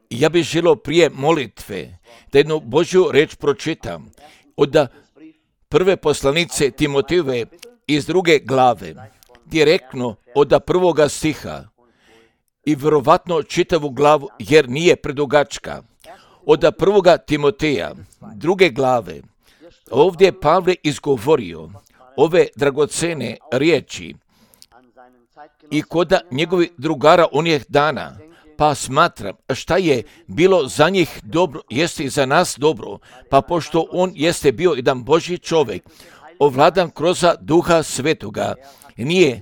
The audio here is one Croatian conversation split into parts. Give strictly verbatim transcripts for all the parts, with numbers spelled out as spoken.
Ja bih želio prije molitve da jednu Božju reč pročitam od prve poslanice Timotejeve iz druge glave, direktno od prvoga stiha i vjerovatno čitavu glavu jer nije predugačka. Od prvoga Timoteja, druge glave, ovdje je Pavle izgovorio ove dragocene riječi i kod njegovih drugara onih dana, pa smatram šta je bilo za njih dobro, jeste i za nas dobro, pa pošto on jeste bio jedan Božji čovjek, ovladan kroz Duha Svetoga, nije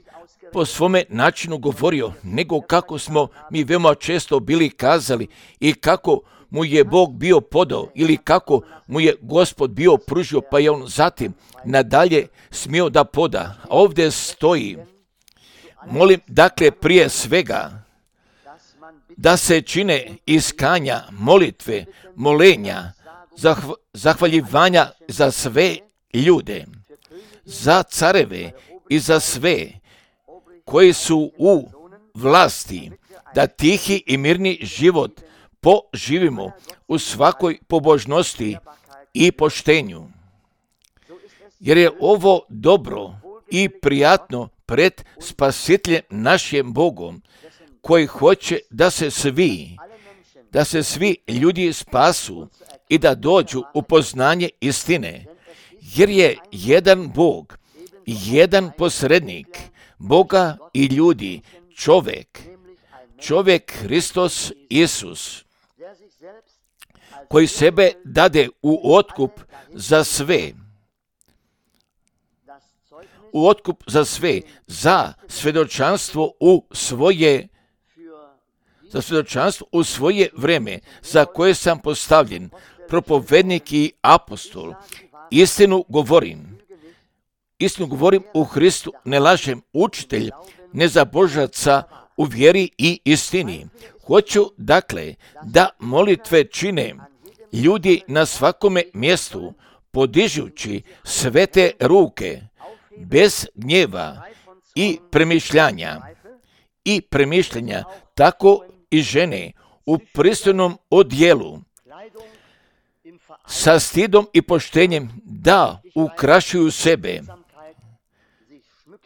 po svome načinu govorio, nego kako smo mi veoma često bili kazali i kako mu je Bog bio podao ili kako mu je Gospod bio pružio, pa je on zatim nadalje smio da poda. A ovdje stoji, molim dakle prije svega da se čine iskanja, molitve, molenja, zahv- zahvaljivanja za sve ljude, za careve i za sve koji su u vlasti, da tihi i mirni život poživimo u svakoj pobožnosti i poštenju. Jer je ovo dobro i prijatno pred Spasiteljem našim Bogom, koji hoće da se svi, da se svi ljudi spasu i da dođu u poznanje istine. Jer je jedan Bog, jedan posrednik Boga i ljudi, čovjek, čovjek Hristos Isus, koji sebe dade u otkup za sve, u otkup za sve, za svjedočanstvo u svoje, za svjedočanstvo u svoje vreme, za koje sam postavljen, propovednik i apostol. Istinu govorim, istinu govorim u Hristu, ne lažem, učitelj nezabožaca u vjeri i istini. Hoću, dakle, da molitve čine ljudi na svakome mjestu, podižući svete ruke, bez gnjeva i premišljanja, i premišljanja, tako i žene u pristojnom odjelu, sa stidom i poštenjem da ukrašuju sebe,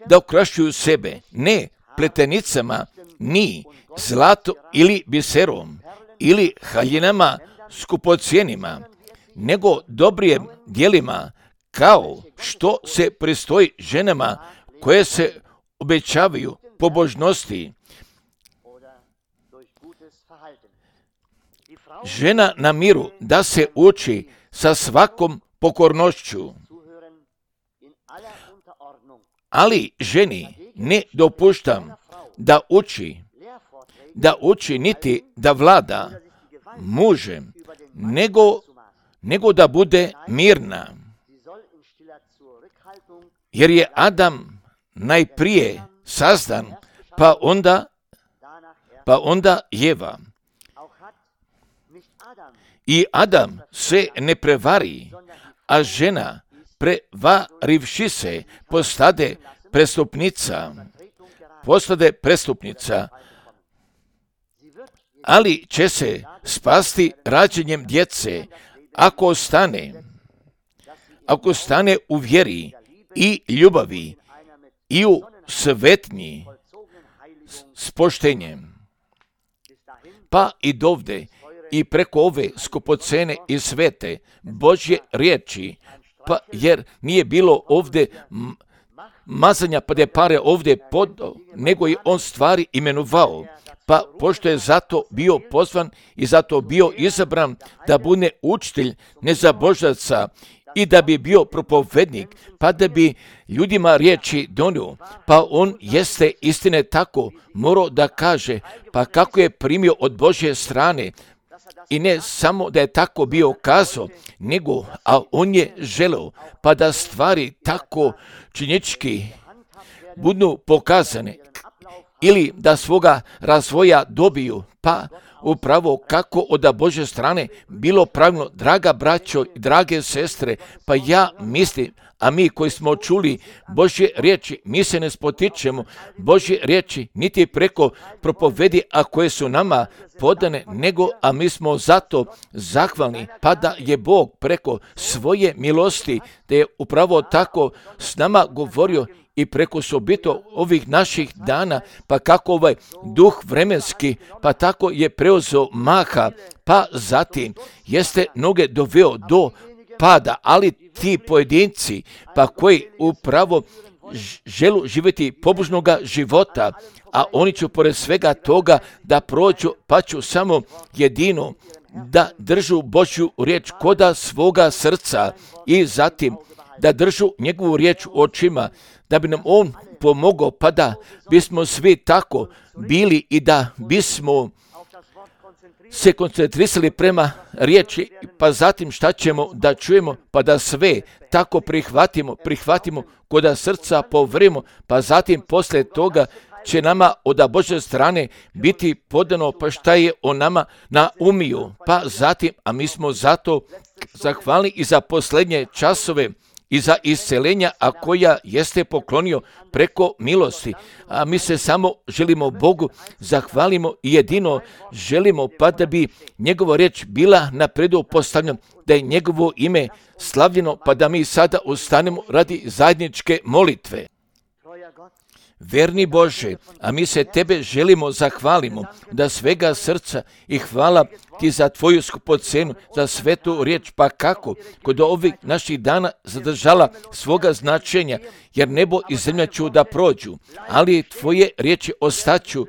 da ukrašuju sebe, ne pletenicama, ni zlato ili biserom, ili haljinama skupocijenima, nego dobrim djelima, kao što se pristoji ženama koje se obećavaju pobožnosti. Žena na miru da se uči sa svakom pokornošću, ali ženi ne dopuštam da uči, da uči niti da vlada mužem, nego, nego da bude mirna. Jer je Adam najprije sazdan, pa onda, pa onda Jeva. I Adam se ne prevari, a žena prevarivši se postade prestupnica, postade prestupnica, ali će se spasti rađenjem djece, ako ostane, ako stane u vjeri i ljubavi i u svetnji s poštenjem. Pa i dovde i preko ove skupocene i svete Božje riječi, pa jer nije bilo ovdje mazanja pa da je pare ovdje podao, nego je on stvari imenovao, pa pošto je zato bio pozvan i zato bio izabran da bude učitelj nezabožaca i da bi bio propovednik, pa da bi ljudima riječi donio, pa on jeste istine tako morao da kaže, pa kako je primio od Božje strane, i ne samo da je tako bio kazao, nego, a on je želeo, pa da stvari tako činjenički budu pokazane, ili da svoga razvoja dobiju, pa upravo kako od Božje strane bilo pravilno, draga braćo i drage sestre, pa ja mislim, a mi koji smo čuli Božje riječi, mi se ne spotičemo Božje riječi niti preko propovedi, a koje su nama podane, nego, a mi smo zato zahvalni, pa da je Bog preko svoje milosti, da je upravo tako s nama govorio i preko sobito ovih naših dana, pa kako ovaj duh vremenski, pa tako je preuzeo maha, pa zatim jeste mnoge doveo do pada, ali ti pojedinci, pa koji upravo želu živjeti pobožnoga života, a oni će pored svega toga da prođu, pa ću samo jedino da držu Božju riječ koda svoga srca i zatim da držu njegovu riječ u očima, da bi nam on pomogao, pa da bismo svi tako bili i da bismo se koncentrisali prema riječi, pa zatim šta ćemo da čujemo, pa da sve tako prihvatimo, prihvatimo koda srca povrimo, pa zatim poslije toga će nama od Božje strane biti podano, pa šta je o nama na umiju, pa zatim, a mi smo zato zahvalni i za posljednje časove i za iscelenja, a koja jeste poklonio preko milosti. A mi se samo želimo Bogu zahvalimo i jedino želimo, pa da bi njegova riječ bila napredu postavljena, da je njegovo ime slavljeno, pa da mi sada ustanemo radi zajedničke molitve. Verni Bože, a mi se Tebe želimo zahvalimo da svega srca i hvala Ti za Tvoju skupocenu, za svetu riječ, pa kako kod ovih naših dana zadržala svoga značenja, jer nebo i zemlja ću da prođu, ali Tvoje riječi ostaću,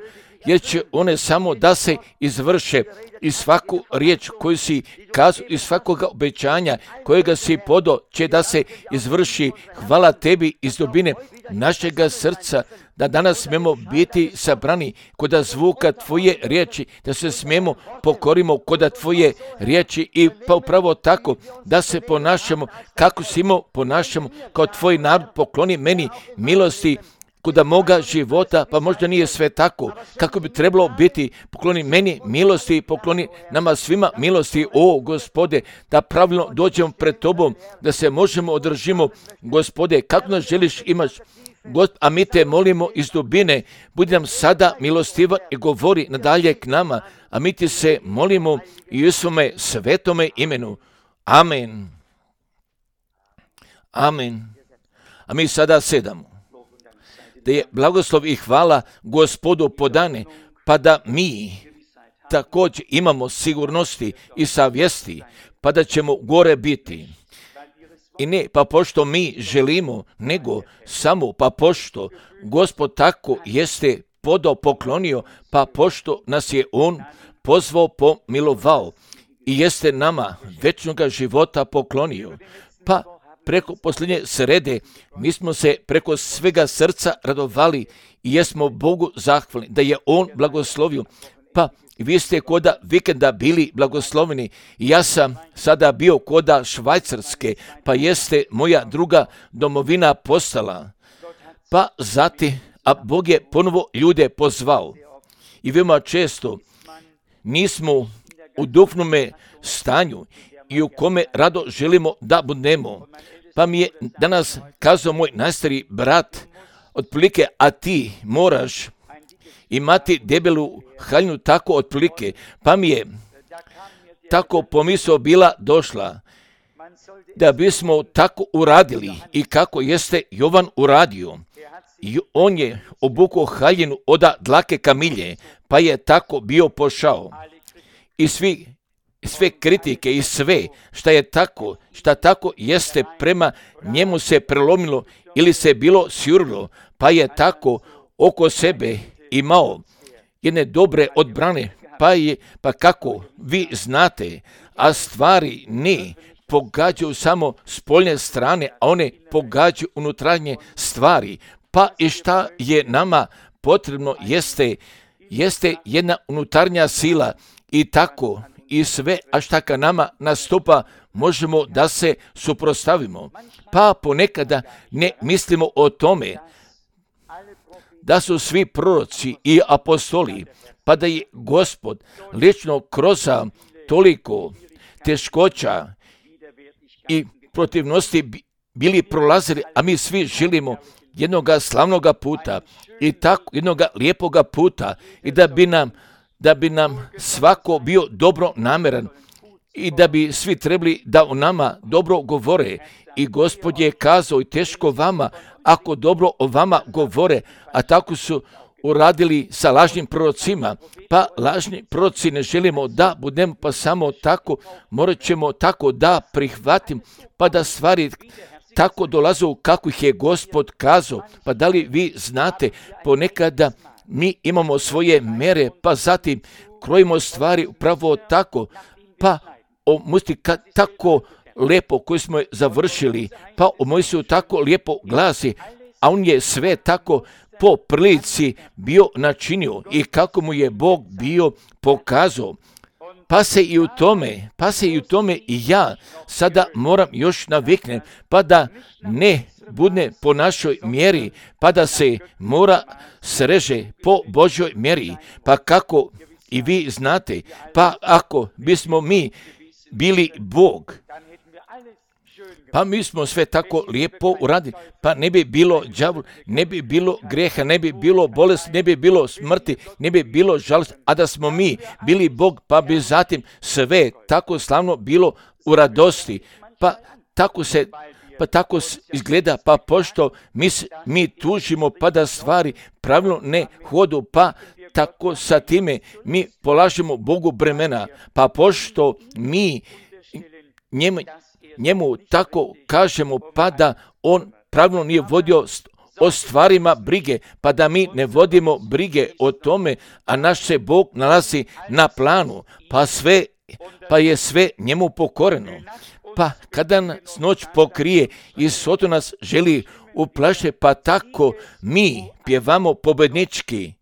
jer će one samo da se izvrše i svaku riječ koju si kazao i svakoga obećanja kojega si podao će da se izvrši. Hvala Tebi iz dubine našega srca da danas smemo biti sabrani koda zvuka Tvoje riječi, da se smemo pokorimo koda Tvoje riječi i pa upravo tako da se ponašamo kako si imao ponašamo kao Tvoj narod. Pokloni meni milosti koda moga života, pa možda nije sve tako kako bi trebalo biti. Pokloni meni milosti, pokloni nama svima milosti, o Gospode, da pravilno dođemo pred Tobom, da se možemo održimo, Gospode, kako nas želiš imaš, a mi Te molimo iz dubine, budi nam sada milostivan i govori nadalje k nama, a mi Ti se molimo i u svome svetome imenu. Amen. Amen. A mi sada sedamo. Da je blagoslov i hvala Gospodu podane, pa da mi također imamo sigurnosti i savjesti, pa da ćemo gore biti. I ne pa pošto mi želimo, nego samo pa pošto Gospod tako jeste podao, poklonio, pa pošto nas je On pozvao, pomilovao i jeste nama večnoga života poklonio, pa preko posljednje srede mi smo se preko svega srca radovali i jesmo Bogu zahvalni da je On blagoslovio. Pa vi ste koda vikenda bili blagosloveni i ja sam sada bio koda Švajcarske, pa jeste moja druga domovina postala. Pa zati, a Bog je ponovo ljude pozvao. I veoma često nismo u duhovnome stanju i u kome rado želimo da budemo. Pa mi je danas kazao moj najstariji brat, otprilike, a ti moraš imati debelu haljinu tako otprilike. Pa mi je tako pomisao bila došla, da bismo tako uradili i kako jeste Jovan uradio. I on je obukao haljinu od dlake kamilje, pa je tako bio pošao. I svi sve kritike i sve šta je tako, šta tako jeste prema njemu se prelomilo ili se bilo sjurilo, pa je tako oko sebe imao jedne dobre odbrane, pa je, pa kako vi znate, a stvari ne pogađaju samo spoljne strane, a one pogađaju unutarnje stvari, pa i šta je nama potrebno jeste, jeste jedna unutarnja sila i tako i sve, a šta ka nama nastupa, možemo da se suprotstavimo. Pa ponekada ne mislimo o tome da su svi proroci i apostoli, pa da je Gospod lično kroz toliko teškoća i protivnosti bili prolazili, a mi svi želimo jednoga slavnoga puta i tako jednoga lijepoga puta i da bi nam, da bi nam svako bio dobro nameran i da bi svi trebali da o nama dobro govore. I Gospod je kazao i teško vama ako dobro o vama govore, a tako su uradili sa lažnim prorocima, pa lažni proroci ne želimo da budemo, pa samo tako morat ćemo tako da prihvatim, pa da stvari tako dolaze kako ih je Gospod kazao. Pa da li vi znate, ponekada mi imamo svoje mere, pa zatim krojimo stvari upravo tako, pa o musti tako lijepo koji smo završili, pa o Mojsiju tako lijepo glasi, a on je sve tako po prilici bio načinio i kako mu je Bog bio pokazao. Pa se i u tome, pa se i u tome i ja sada moram još naviknem, pa da ne bude po našoj mjeri, pa da se mora sreže po Božoj mjeri. Pa kako i vi znate, pa ako bismo mi bili Bog, pa mi smo sve tako lijepo uradili, pa ne bi bilo đavla, ne bi bilo greha, ne bi bilo bolesti, ne bi bilo smrti, ne bi bilo žalosti, a da smo mi bili Bog, pa bi zatim sve tako slavno bilo u radosti. Pa tako se, pa tako izgleda, pa pošto mi, mi tužimo, pa da stvari pravilno ne hodu, pa tako sa time mi polažemo Bogu bremena, pa pošto mi njemu, njemu tako kažemo, pa da on pravilno nije vodio o stvarima brige, pa da mi ne vodimo brige o tome, a naš se Bog nalazi na planu, pa sve, pa je sve njemu pokoreno. Pa kada nas noć pokrije i soto nas želi uplaše, pa tako mi pjevamo pobjednički,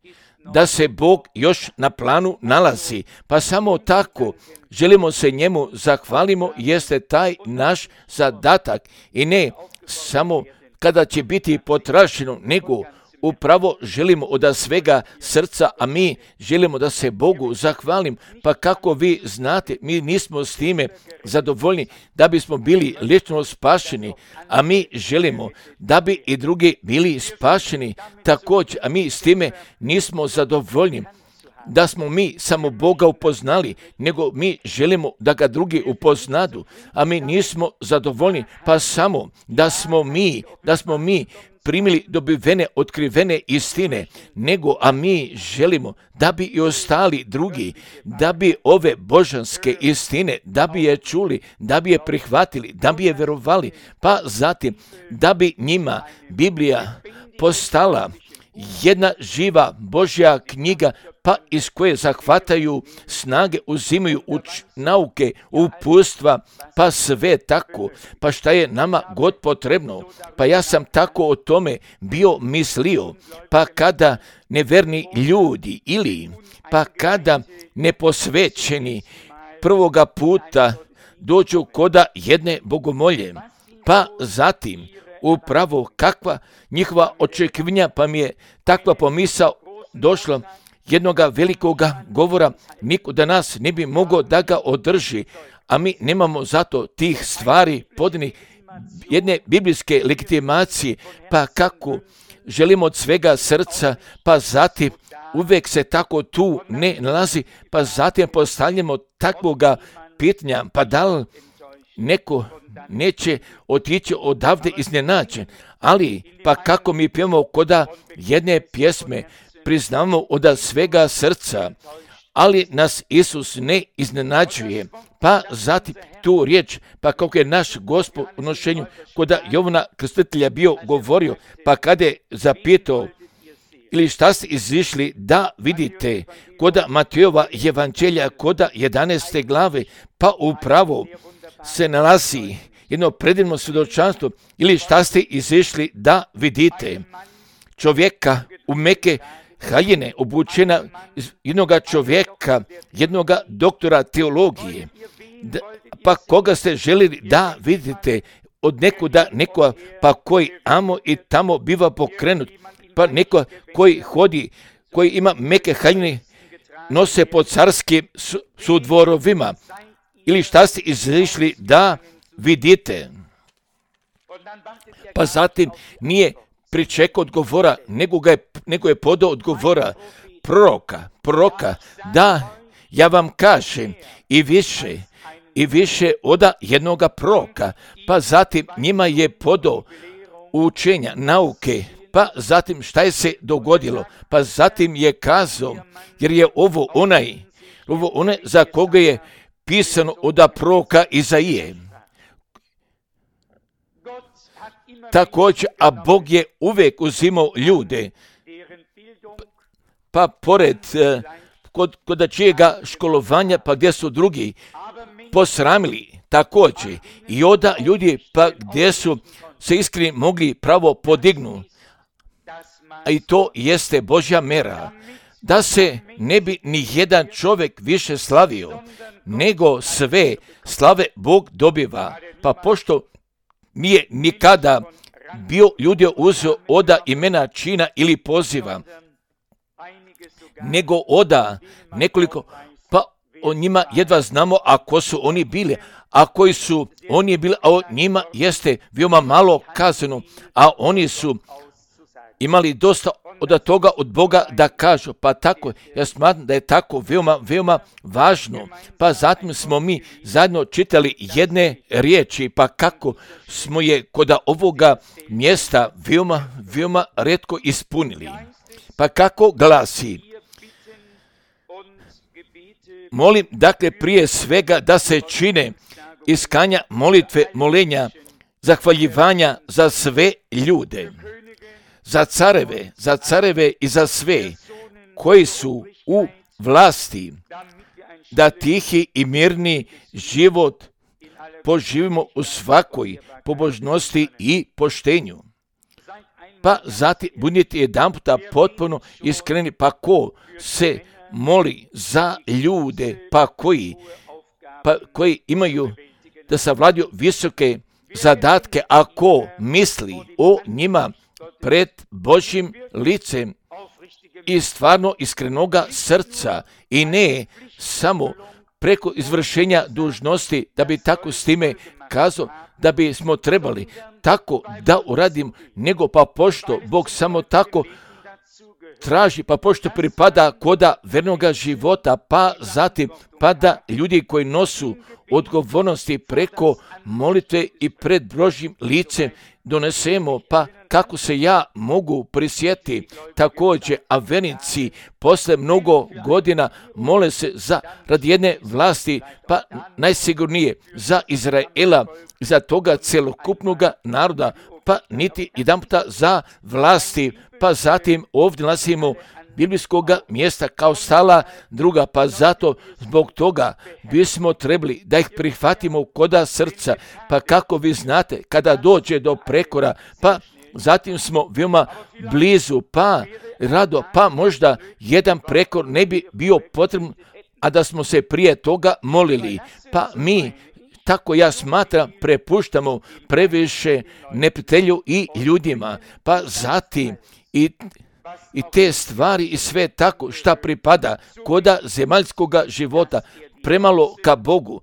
da se Bog još na planu nalazi, pa samo tako želimo se njemu zahvalimo, jeste taj naš zadatak i ne samo kada će biti potraženo, nego upravo želimo od svega srca, a mi želimo da se Bogu zahvalim, pa kako vi znate, mi nismo s time zadovoljni da bismo bili lično spašeni, a mi želimo da bi i drugi bili spašeni također, a mi s time nismo zadovoljni da smo mi samo Boga upoznali, nego mi želimo da ga drugi upoznadu, a mi nismo zadovoljni, pa samo da smo mi, da smo mi primili dobivene, otkrivene istine, nego, a mi želimo da bi i ostali drugi, da bi ove božanske istine, da bi je čuli, da bi je prihvatili, da bi je verovali, pa zatim da bi njima Biblija postala jedna živa Božja knjiga, pa iz koje zahvataju snage, uzimaju uč, nauke, upustva, pa sve tako, pa šta je nama god potrebno. Pa ja sam tako o tome bio mislio, pa kada neverni ljudi ili pa kada neposvećeni prvoga puta dođu koda jedne bogomolje, pa zatim upravo kakva njihova očekivanja, pa mi je takva pomisao došla jednoga velikoga govora, niko da nas ne bi mogao da ga održi, a mi nemamo zato tih stvari podnih jedne biblijske legitimacije, pa kako želimo od svega srca, pa zatim uvek se tako tu ne nalazi, pa zatim postavljamo takvoga pitanja, pa da li neko neće otići odavde iznenađen, ali pa kako mi pjevamo koda jedne pjesme, priznamo od svega srca, ali nas Isus ne iznenađuje, pa zatim tu riječ, pa kako je naš Gospod u nošenju koda Jovana Krstitelja bio govorio, pa kada je zapitao, ili šta ste izišli da vidite, koda Matejova evanđelja, koda jedanaeste glave, pa upravo se nalazi jedno predivno svjedočanstvo, ili šta ste izišli da vidite, čovjeka u meke haljine, obučena jednoga čovjeka, jednoga doktora teologije, da, pa koga ste željeli da vidite od nekuda, nekoga, pa koji amo i tamo biva pokrenut, pa neko koji hodi, koji ima meke haljine, nose po carskim sudvorovima, ili šta ste izišli da vidite. Pa zatim nije pričekao odgovora, nego, ga je, nego je podao odgovora proroka, proroka, da ja vam kažem i više, i više oda jednoga proroka, pa zatim njima je podao učenja, nauke, pa zatim šta je se dogodilo, pa zatim je kazao, jer je ovo onaj, ovo onaj za koga je pisano oda proroka Izaije. Također, a Bog je uvijek uzimao ljude, pa pored kod, kod čijega školovanja, pa gdje su drugi posramili također, i onda ljudi pa gdje su se iskreni mogli pravo podignuti, a i to jeste Božja mera, da se ne bi ni jedan čovjek više slavio, nego sve slave Bog dobiva, pa pošto nije nikada bio ljudi uzeo oda imena čina ili poziva, nego oda nekoliko, pa o njima jedva znamo ako su oni bili, a koji su oni bili, a o njima jeste veoma malo kazano, a oni su imali dosta od toga od Boga da kažu, pa tako, ja smatram da je tako veoma, veoma važno, pa zatim smo mi zajedno čitali jedne riječi, pa kako smo je kod ovoga mjesta veoma, veoma retko ispunili, pa kako glasi, molim, dakle, prije svega da se čine iskanja, molitve, molenja, zahvaljivanja za sve ljude, za careve, za careve i za sve koji su u vlasti, da tihi i mirni život poživimo u svakoj pobožnosti i poštenju. Pa zatim budite jedan puta potpuno iskreni, pa ko se moli za ljude, pa koji, pa koji imaju da savladaju visoke zadatke, ako misli o njima pred Božjim licem i stvarno iskrenoga srca i ne samo preko izvršenja dužnosti, da bi tako s time kazao da bi smo trebali tako da uradim, nego pa pošto Bog samo tako traži, pa pošto pripada koda vernoga života, pa zatim pa da ljudi koji nosu odgovornosti preko molitve i pred Božjim licem donesemo, pa kako se ja mogu prisjetiti također, a vernici posle mnogo godina mole se za radi jedne vlasti, pa najsigurnije za Izraela, za toga celokupnog naroda, pa niti jedan puta za vlasti, pa zatim ovdje nalazimo biblijskog mjesta kao stala druga, pa zato zbog toga bismo trebali da ih prihvatimo koda srca, pa kako vi znate, kada dođe do prekora, pa zatim smo veoma blizu, pa rado, pa možda jedan prekor ne bi bio potreban, a da smo se prije toga molili, pa mi, tako ja smatram, prepuštamo previše neprijatelju i ljudima, pa zatim i I te stvari i sve tako šta pripada koda zemaljskog života premalo ka Bogu,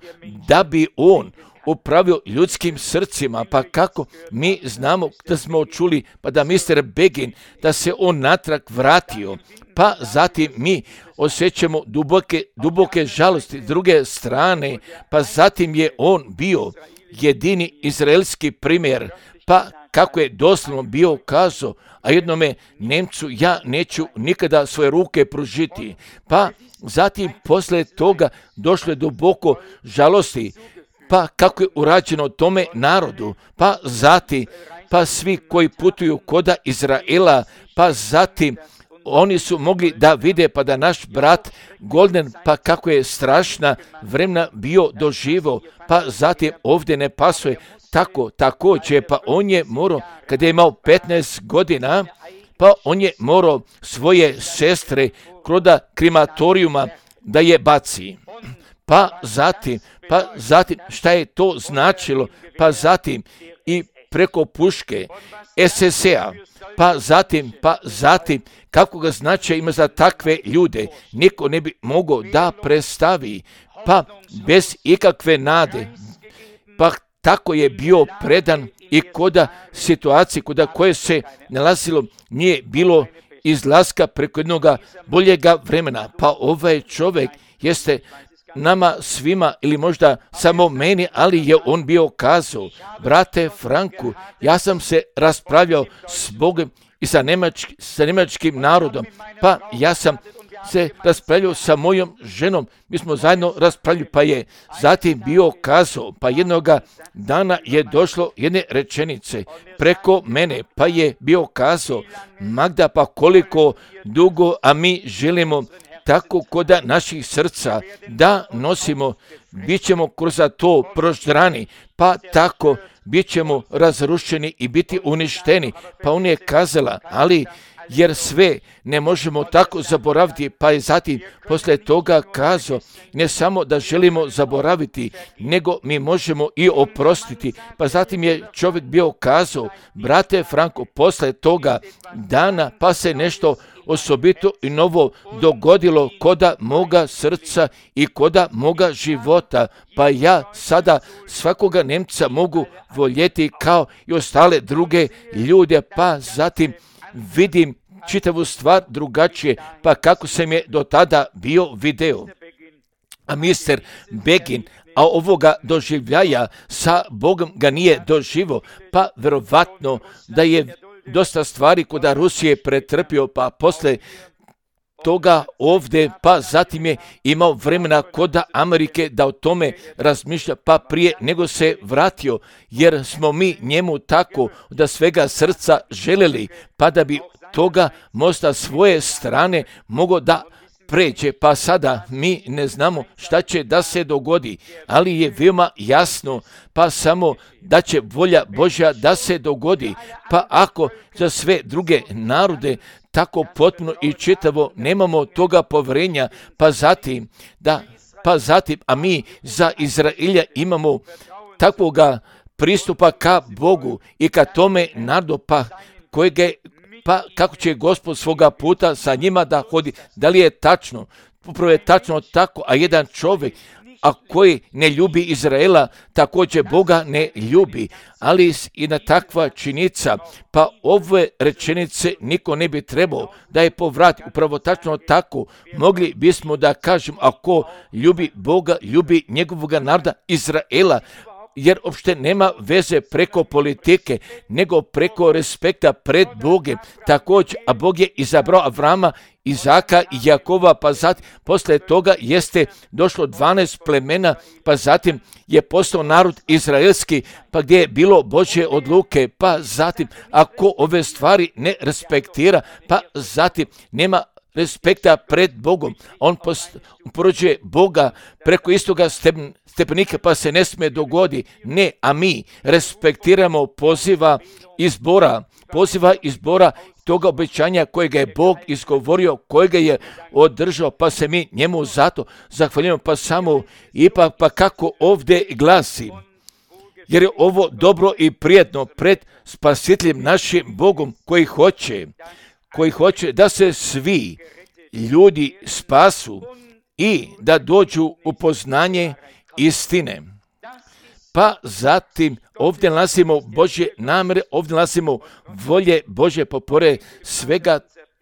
da bi On upravio ljudskim srcima, pa kako mi znamo da smo čuli, pa da mister Begin, da se on natrag vratio, pa zatim mi osjećamo duboke, duboke žalosti s druge strane, pa zatim je on bio jedini izraelski primjer, pa kako je doslovno bio kazao, a jednome Nemcu ja neću nikada svoje ruke pružiti. Pa zatim posle toga došlo je duboko žalosti, pa kako je urađeno tome narodu, pa zatim, pa svi koji putuju koda Izraela, pa zatim oni su mogli da vide, pa da naš brat Golden, pa kako je strašna vremena bio doživo, pa zatim ovdje ne pasuje, tako, također, pa on je morao, kada je imao petnaest godina, pa on je morao svoje sestre kroda krematorijuma da je baci. Pa zatim, pa zatim, šta je to značilo, pa zatim i preko puške es es a, pa zatim, pa zatim, kako ga značaj ima za takve ljude, niko ne bi mogao da predstavi, pa bez ikakve nade, pa tako je bio predan i koda situacije koda koje se nalazilo nije bilo izlaska preko jednog boljega vremena. Pa ovaj čovjek jeste nama svima ili možda samo meni, ali je on bio kazao, brate Franku, ja sam se raspravljao s Bogom i sa, njemački, sa njemačkim narodom, pa ja sam se raspravljao sa mojom ženom, mi smo zajedno raspravljali, pa je zatim bio kazao, pa jednoga dana je došlo jedne rečenice preko mene, pa je bio kazao, Magda, pa koliko dugo, a mi želimo tako koda naših srca da nosimo, bit ćemo kroz to proždrani, pa tako bit ćemo razrušeni i biti uništeni. Pa on je kazala, ali jer sve ne možemo tako zaboraviti, pa je zatim poslije toga kazao, ne samo da želimo zaboraviti, nego mi možemo i oprostiti. Pa zatim je čovjek bio kazao, brate Franko, poslije toga dana pa se nešto osobito i novo dogodilo koda moga srca i koda moga života, pa ja sada svakoga Nemca mogu voljeti kao i ostale druge ljude, pa zatim vidim čitavu stvar drugačije, pa kako sam je do tada bio video. A mister Begin, a ovoga doživljaja sa Bogom ga nije doživo, pa verovatno da je dosta stvari koda Rusije pretrpio, pa posle toga ovdje, pa zatim je imao vremena koda Amerike da o tome razmišlja, pa prije nego se vratio, jer smo mi njemu tako da svega srca željeli, pa da bi toga možda svoje strane mogo da pređe, pa sada mi ne znamo šta će da se dogodi, ali je veoma jasno, pa samo da će volja Božja da se dogodi, pa ako za sve druge narode tako potpuno i čitavo nemamo toga povjerenja, pa zatim, da, pa zatim, a mi za Izraelja imamo takvoga pristupa ka Bogu i ka tome narodu, pa kojeg je, pa kako će Gospod svoga puta sa njima da hodi, da li je tačno, upravo je tačno tako, a jedan čovjek, a koji ne ljubi Izraela, također Boga ne ljubi, ali i na takva činica, pa ove rečenice niko ne bi trebao da je povrati, upravo tačno tako, mogli bismo da kažemo, ako ljubi Boga, ljubi njegovog naroda Izraela, jer uopšte nema veze preko politike, nego preko respekta pred Bogem. Također, a Bog je izabrao Avrama, Izaka i Jakova, pa zatim, posle toga jeste došlo dvanaest plemena, pa zatim je postao narod izraelski, pa gdje je bilo Božje odluke, pa zatim, ako ove stvari ne respektira, pa zatim nema respekta pred Bogom. On porođuje Boga preko istoga stepenika, pa se ne smije dogodi. Ne, a mi respektiramo poziva izbora, poziva izbora toga obećanja kojega je Bog izgovorio, kojega je održao, pa se mi njemu zato zahvaljujemo, pa samo ipak, pa kako ovdje glasi, jer je ovo dobro i prijetno pred spasiteljem našim Bogom koji hoće, koji hoće da se svi ljudi spasu i da dođu u poznanje istine. Pa zatim ovdje nalazimo Božje namere, ovdje nalazimo volje Božje, popore svega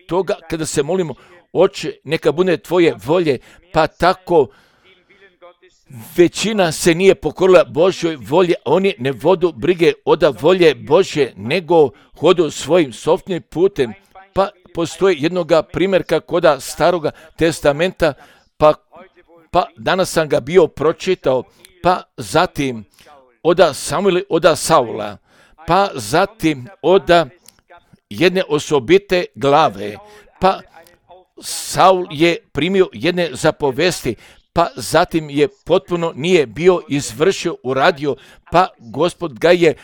toga kada se molimo, Oče, neka bude tvoje volje, pa tako većina se nije pokorila Božjoj volji, oni ne vodu brige od volje Božje, nego hodu svojim sopstvenim putem. Pa postoji jednoga primjerka koda Staroga testamenta, pa, pa danas sam ga bio pročitao, pa zatim oda Samuila, oda Saula, pa zatim oda jedne osobite glave, pa Saul je primio jedne zapovesti, pa zatim je potpuno nije bio izvršio, uradio, pa Gospod ga je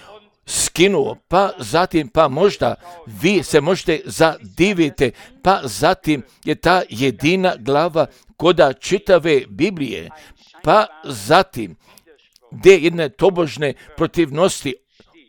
skinuo, pa zatim, pa možda vi se možete zadiviti, pa zatim je ta jedina glava koda čitave Biblije, pa zatim gdje jedne tobožne protivnosti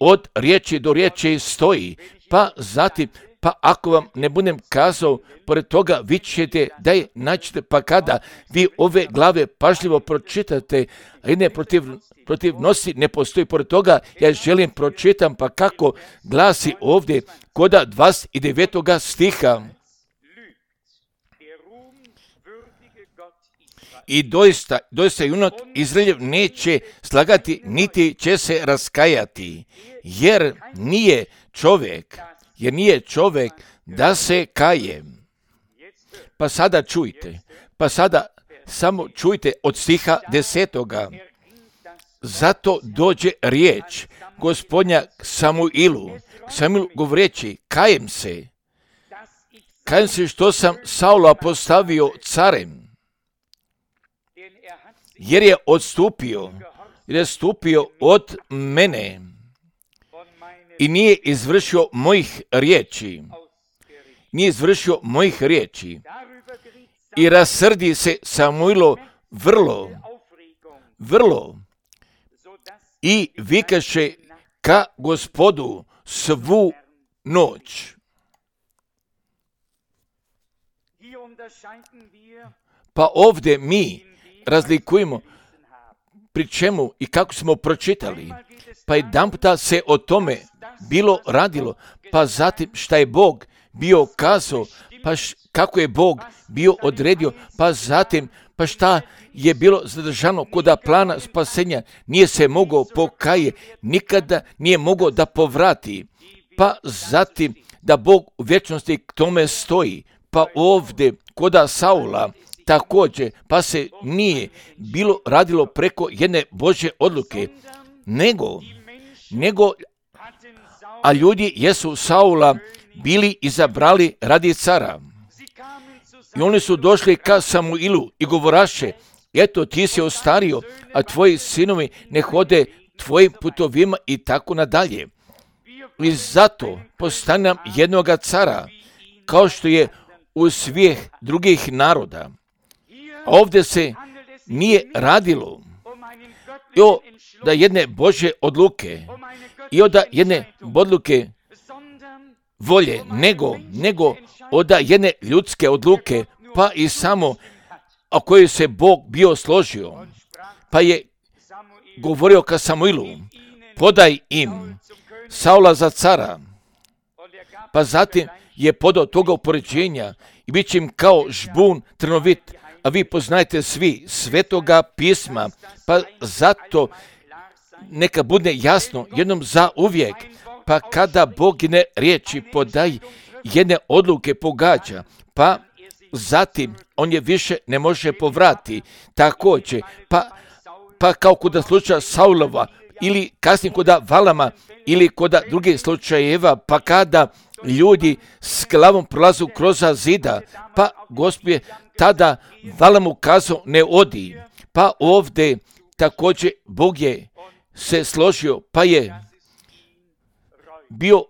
od riječi do riječi stoji, pa zatim pa ako vam ne budem kazao, pored toga vi ćete da je naćete, pa kada vi ove glave pažljivo pročitate, a jedne protiv, protiv nosi ne postoji, pored toga ja želim pročitam, pa kako glasi ovdje koda dvadeset devetog stiha. I doista, doista junak Izraeljev neće slagati, niti će se raskajati, jer nije čovjek, jer nije čovjek da se kaje. Pa sada čujte, pa sada samo čujte od stiha desetoga. Zato dođe riječ Gospodnja Samuilu, Samuil govoreći, kajem se, kajem se što sam Saula postavio carem, jer je odstupio, jer je stupio od mene i nije izvršio mojih riječi, nije izvršio mojih riječi. I rasrdi se Samuilo vrlo, vrlo i vikaše ka Gospodu svu noć. Pa ovdje mi razlikujemo pri čemu i kako smo pročitali. Pa jedan puta se o tome bilo radilo, pa zatim šta je Bog bio kazao, pa š, kako je Bog bio odredio, pa zatim pa šta je bilo zadržano koda plana spasenja, nije se mogao pokaje, nikada nije mogao da povrati, pa zatim da Bog u vječnosti k tome stoji, pa ovdje koda Saula također, pa se nije bilo radilo preko jedne Božje odluke, nego, nego, a ljudi jesu Saula bili izabrali radi cara. I oni su došli ka Samuilu i govoraše, eto ti si ostario, a tvoji sinovi ne hode tvojim putovima i tako nadalje. I zato postane nam jednoga cara, kao što je u svih drugih naroda. A ovdje se nije radilo i o da jedne Božje odluke i od jedne odluke volje, nego, nego od jedne ljudske odluke, pa i samo o kojoj se Bog bio složio, pa je govorio ka Samuilu, podaj im Saula za cara, pa zatim je podao toga upoređenja i bit će im kao žbun trnovit, a vi poznajete svi svetoga pisma, pa zato neka bude jasno jednom za uvijek, pa kada Bog jedne riječi podaj, jedne odluke pogađa, pa zatim on je više ne može povrati, također, pa, pa kao kod slučaja Saulova, ili kasnije kod Valama, ili kod drugih slučajeva, pa kada ljudi s glavom prolazu kroz zida, pa Gospod je tada Valam ukazao ne odi, pa ovdje također Bog je se složio, pa je bio,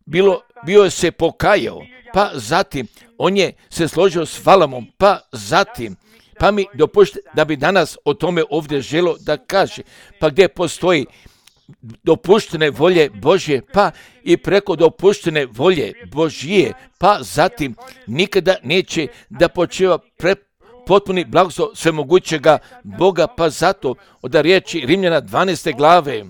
bilo, bio je se pokajao, pa zatim on je se složio s Valamom, pa zatim, pa mi dopušte da bi danas o tome ovdje želo da kaže, pa gdje postoji dopuštene volje Božje, pa i preko dopuštene volje Božije, pa zatim nikada neće da počeva pre potpuni blagoslov svemogućega Boga, pa zato od riječi Rimljana dvanaeste glave,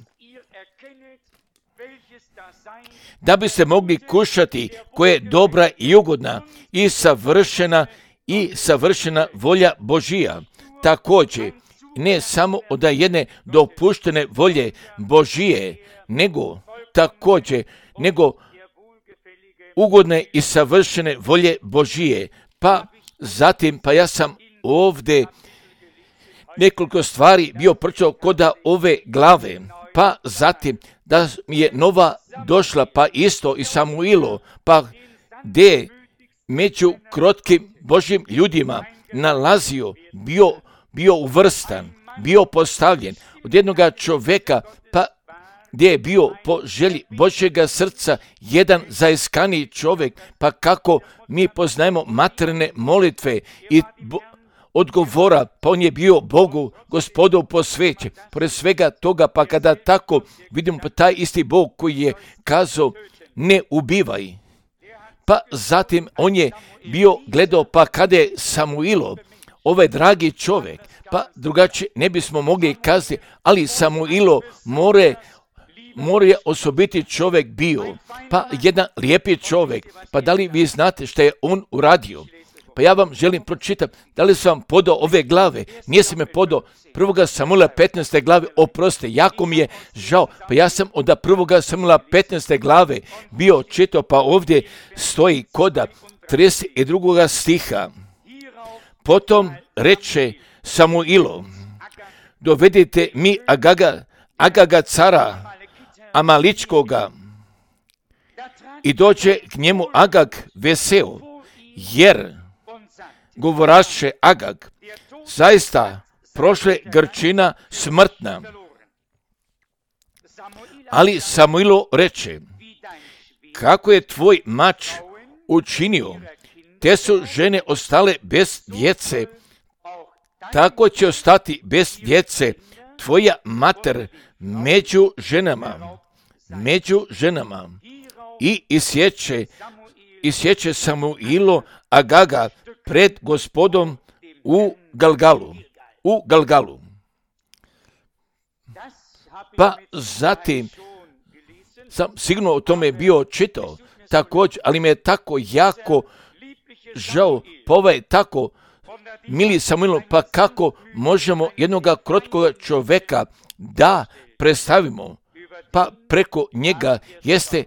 da bi se mogli kušati koja je dobra i ugodna i savršena i savršena volja Božija. Također, ne samo od jedne dopuštene volje Božije, nego također, nego ugodne i savršene volje Božije. Pa zatim, pa ja sam ovdje nekoliko stvari bio pročitao kod ove glave, pa zatim da mi je nova došla, pa isto i Samuilo, pa gdje među krotkim Božjim ljudima nalazio, bio, bio uvrstan, bio postavljen od jednoga čovjeka, pa gdje je bio po želji Božjega srca jedan zaiskaniji čovjek, pa kako mi poznajemo materne molitve i bo- odgovora, pa on je bio Bogu, Gospodu posvećen. Pored svega toga, pa kada tako vidimo pa taj isti Bog koji je kazao ne ubivaj, Pa zatim on je bio gledao, pa kada je Samuilo, ovaj dragi čovjek, pa drugačije ne bismo mogli kazati, ali Samuilo more, more osobiti čovjek bio, pa jedan lijepi čovjek. Pa da li vi znate što je on uradio? Pa ja vam želim pročitati, da li sam vam podao ove glave, nije se me podao prvoga Samuila petnaeste glave, oproste, jako mi je žao, pa ja sam od prvoga Samuila petnaeste glave bio čitao, pa ovdje stoji koda trideset drugoga stiha. Potom reče Samuilo, dovedite mi Agaga, Agaga cara Amaličkoga, i dođe k njemu Agag veseo, jer govoraše Agag, zaista prošle Grčina smrtna. Ali Samuilo reče, kako je tvoj mač učinio, te su žene ostale bez djece, tako će ostati bez djece tvoja mater među ženama, među ženama. I isječe, isječe Samuilo Agaga pred Gospodom u Galgalu, u Galgalu. Pa zatim sam sigurno o tome bio čitao također, ali me je tako jako žao, pa ovaj tako mili Samuilo, pa kako možemo jednoga krotkoga čovjeka da predstavimo, pa preko njega jeste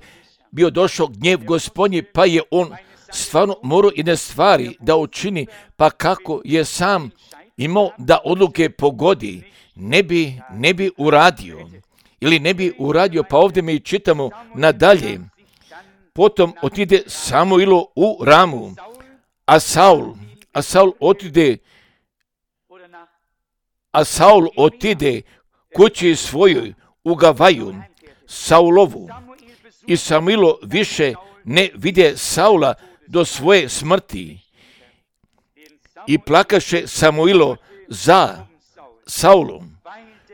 bio došao gnjev Gospodnji, pa je on stvarno morao jedne stvari da učini, pa kako je sam imao da odluke pogodi, ne bi, ne bi uradio, ili ne bi uradio, pa ovdje mi čitamo nadalje. Potom otide Samuilo u Ramu, a Saul, a Saul otide, a Saul otide kući svojoj u Gavaju, Saulovu. I Samuilo više ne vide Saula do svoje smrti. I plakaše Samuilo za Saulom,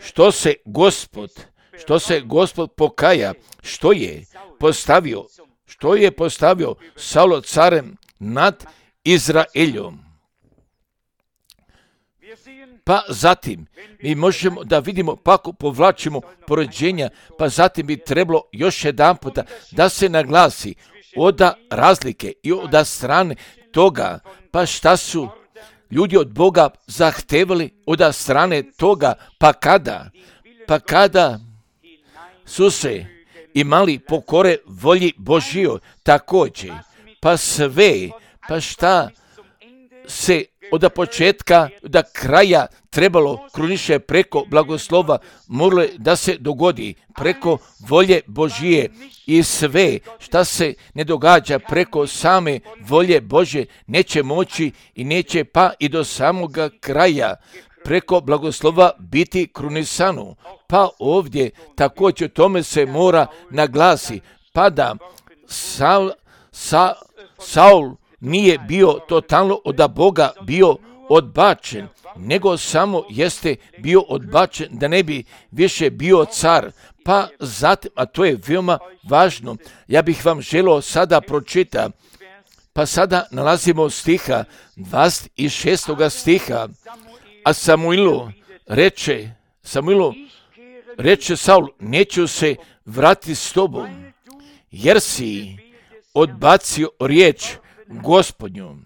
što se Gospod, što se Gospod pokaja, što je postavio, što je postavio Saulo carem nad Izraeljom. Pa zatim mi možemo da vidimo, pa ako povlačimo poređenja, pa zatim bi trebalo još jedan puta da se naglasi od razlike i od strane toga, pa šta su ljudi od Boga zahtevali od strane toga, pa kada, pa kada su se imali pokore volji Božjoj također, pa sve, pa šta se od početka do kraja trebalo kruniše preko blagoslova, moralo da se dogodi preko volje Božije, i sve šta se ne događa preko same volje Božje neće moći i neće pa i do samoga kraja preko blagoslova biti krunisano. Pa ovdje također tome se mora naglasi, pa da Saul, Sa, Saul nije bio totalno od Boga bio odbačen, nego samo jeste bio odbačen da ne bi više bio car. Pa zatim, a to je veoma važno, ja bih vam želio sada pročitati, pa sada nalazimo stiha, dvadeset šestoga stiha, a Samuilo reče, Samuilo reče Saul, neću se vratiti s tobom, jer si odbacio riječ Gospodnju.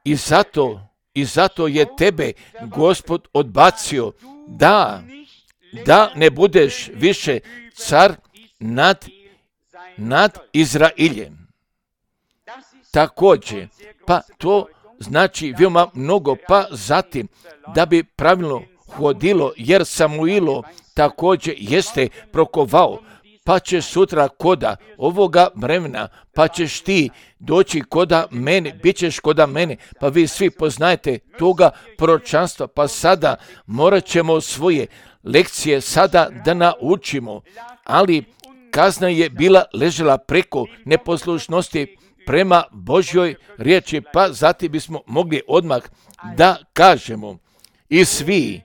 I zato, i zato je tebe Gospod odbacio da, da ne budeš više car nad, nad Izraeljem. Također, pa to znači veoma mnogo, pa zatim da bi pravilno hodilo, jer Samuilo također jeste prokovao, pa će sutra koda ovoga vremena, pa ćeš ti doći koda mene, bit ćeš koda mene, pa vi svi poznajete toga proročanstva, pa sada morat ćemo svoje lekcije sada da naučimo, ali kazna je bila ležela preko neposlušnosti prema Božjoj riječi, pa zatim bismo mogli odmah da kažemo, i svi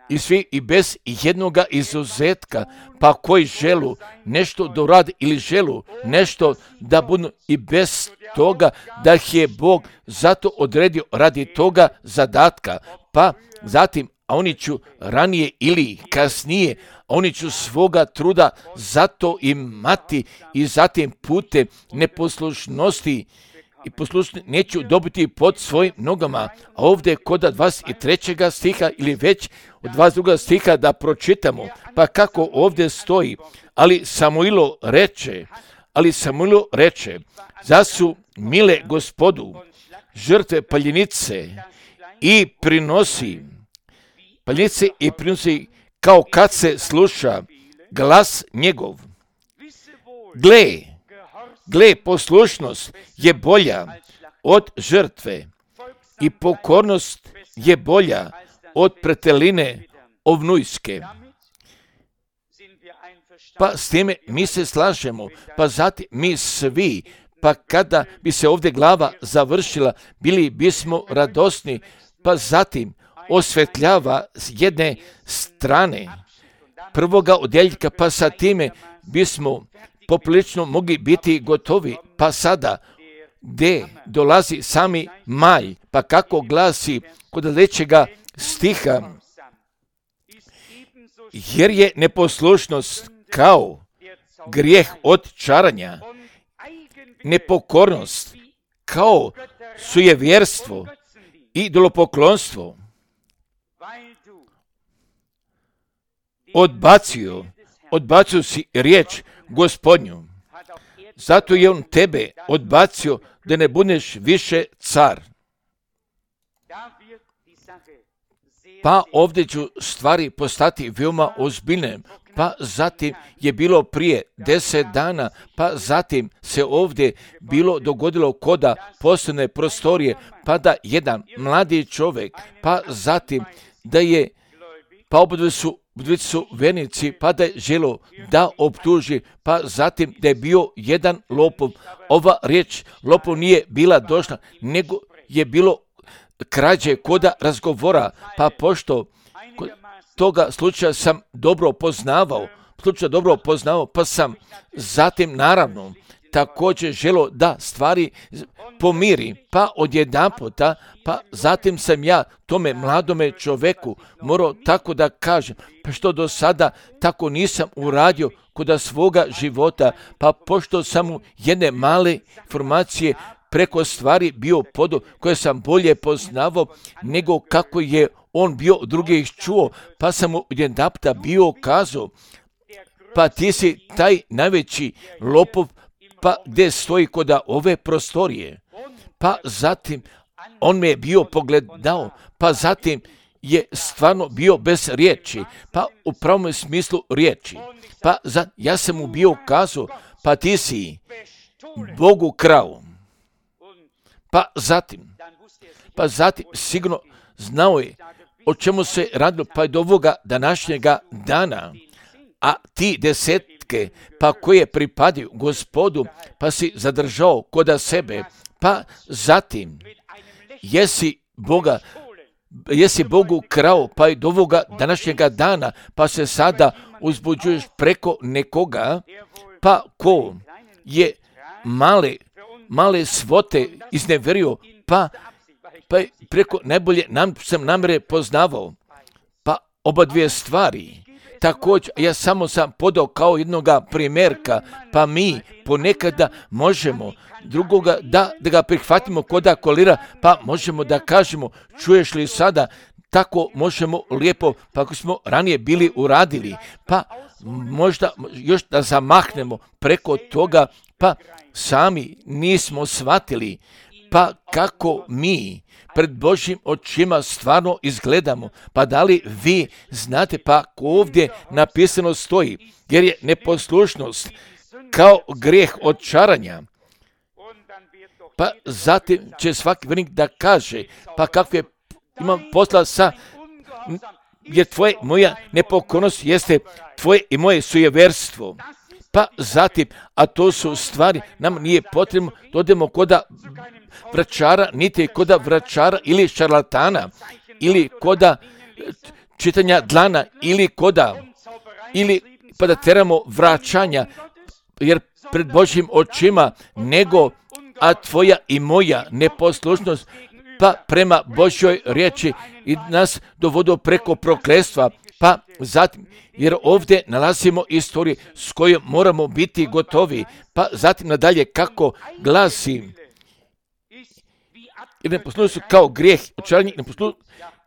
i svi i bez jednoga izuzetka, pa koji želu nešto doradi ili želu nešto da budu i bez toga da ih je Bog zato odredio radi toga zadatka, pa zatim a oni ću ranije ili kasnije, oni ću svoga truda zato imati i zatim putem neposlušnosti i poslušni neću dobiti pod svojim nogama. A ovdje kod dvadeset trećeg stiha ili već od dvadeset drugog stiha da pročitamo, pa kako ovdje stoji, ali Samuilo reče, ali Samuilo reče, za su mile Gospodu žrtve paljenice i prinosi paljenice i prinosi kao kad se sluša glas njegov. Gle, gle, poslušnost je bolja od žrtve i pokornost je bolja od preteline ovnujske. Pa s time mi se slažemo, pa zatim mi svi, pa kada bi se ovdje glava završila, bili bismo radosni, pa zatim osvetljava s jedne strane prvoga odjeljka, pa sa time bismo poprilično mogli biti gotovi, pa sada gdje dolazi sami maj, pa kako glasi kod sljedećega stiha, jer je neposlušnost kao grijeh od čaranja, nepokornost kao sujevjerstvo i idolopoklonstvo. Odbacio, odbacio si riječ Gospodnju, zato je on tebe odbacio da ne budeš više car. Pa ovdje ću stvari postati veoma ozbiljne, pa zatim je bilo prije deset dana, pa zatim se ovdje bilo dogodilo koda posebne prostorije, pa da jedan mladi čovjek, pa zatim da je, pa obdve su Dvici su vernici, pa da je želo da optuži, pa zatim da je bio jedan lopov. Ova riječ lopov nije bila došla, nego je bilo krađe koda razgovora, pa pošto toga slučaja sam dobro poznavao, slučaj dobro poznavao, pa sam zatim naravno također želo da stvari pomiri, pa odjedanputa, pa zatim sam ja tome mladome čoveku morao tako da kažem, pa što do sada tako nisam uradio kod svoga života, pa pošto sam mu jedne male informacije preko stvari bio podo koje sam bolje poznavao nego kako je on bio drugih čuo, pa sam mu jedanputa bio kazao, pa ti si taj najveći lopov, pa gdje stoji kod ove prostorije. Pa zatim on me je bio pogledao, pa zatim je stvarno bio bez riječi, pa u pravom smislu riječi. Pa za, ja sam mu bio kazao, pa ti si Bogu krao. Pa zatim, pa zatim sigurno znao je o čemu se radilo, pa je do ovoga današnjega dana, a ti desetke, pa koje pripadaju Gospodu, pa si zadržao koda sebe, pa zatim jesi Boga, jesi Bogu krao, pa i do ovoga današnjega dana, pa se sada uzbuđuješ preko nekoga, pa ko je male, male svote izneverio, pa, pa preko najbolje nam, sam namere poznavao, pa oba dvije stvari. Također, ja samo sam podao kao jednoga primjerka, pa mi ponekada možemo drugoga da, da ga prihvatimo koda kolira, pa možemo da kažemo, čuješ li sada, tako možemo lijepo, pa ako smo ranije bili uradili, pa možda još da zamahnemo preko toga, pa sami nismo shvatili, pa kako mi pred Božjim očima stvarno izgledamo, pa da li vi znate, pa ovdje napisano stoji, jer je neposlušnost kao grijeh od čaranja, pa zatim će svaki vjernik da kaže, pa kakve imam posla sa, jer tvoje, moja nepokornost jeste tvoje i moje sujeverstvo. Pa zatim, a to su stvari, nam nije potrebno da odemo koda vračara, niti koda vračara ili šarlatana, ili koda čitanja dlana ili koda, ili pa da teramo vraćanja, jer pred Božjim očima, nego a tvoja i moja neposlušnost pa prema Božjoj riječi i nas dovodo preko prokletstva, pa zatim, jer ovdje nalazimo istoriju s kojom moramo biti gotovi, pa zatim nadalje kako glasi, jer neposlušnost su kao grijeh, očaranje,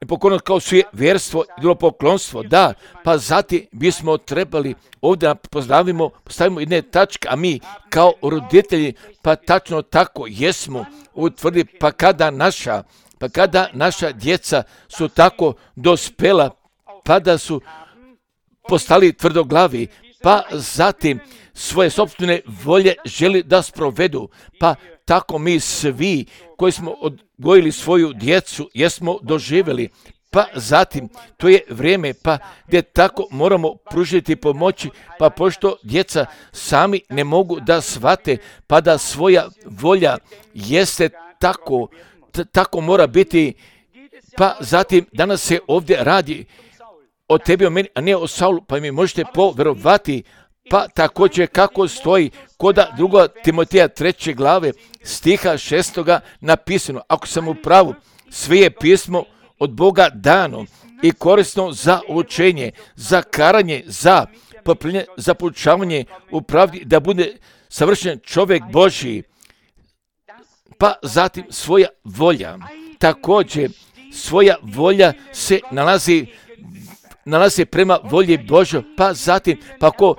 nepokornost kao suje vjerstvo i idolopoklonstvo, da, pa zatim bismo trebali ovdje pozdravimo, postavimo jedne tačke, a mi kao roditelji, pa tačno tako jesmo utvrdi, pa kada naša, pa kada naša djeca su tako dospela, pa da su postali tvrdoglavi, pa zatim svoje sopstvene volje želi da sprovedu, pa tako mi svi koji smo odgojili svoju djecu jesmo doživjeli, pa zatim to je vrijeme pa gdje tako moramo pružiti pomoći, pa pošto djeca sami ne mogu da shvate, pa da svoja volja jeste tako, t- tako mora biti, pa zatim danas se ovdje radi o tebi, o meni, a ne o Saulu, pa mi možete poverovati, pa također kako stoji koda druga Timoteja treće glave stiha šestoga napisano, ako sam u pravu, sve je pismo od Boga dano i korisno za učenje, za karanje, za popravljanje, za poučavanje u pravdi, da bude savršen čovjek Božji, pa zatim svoja volja. Također svoja volja se nalazi nalazi prema volji Božoj, pa zatim, pa ko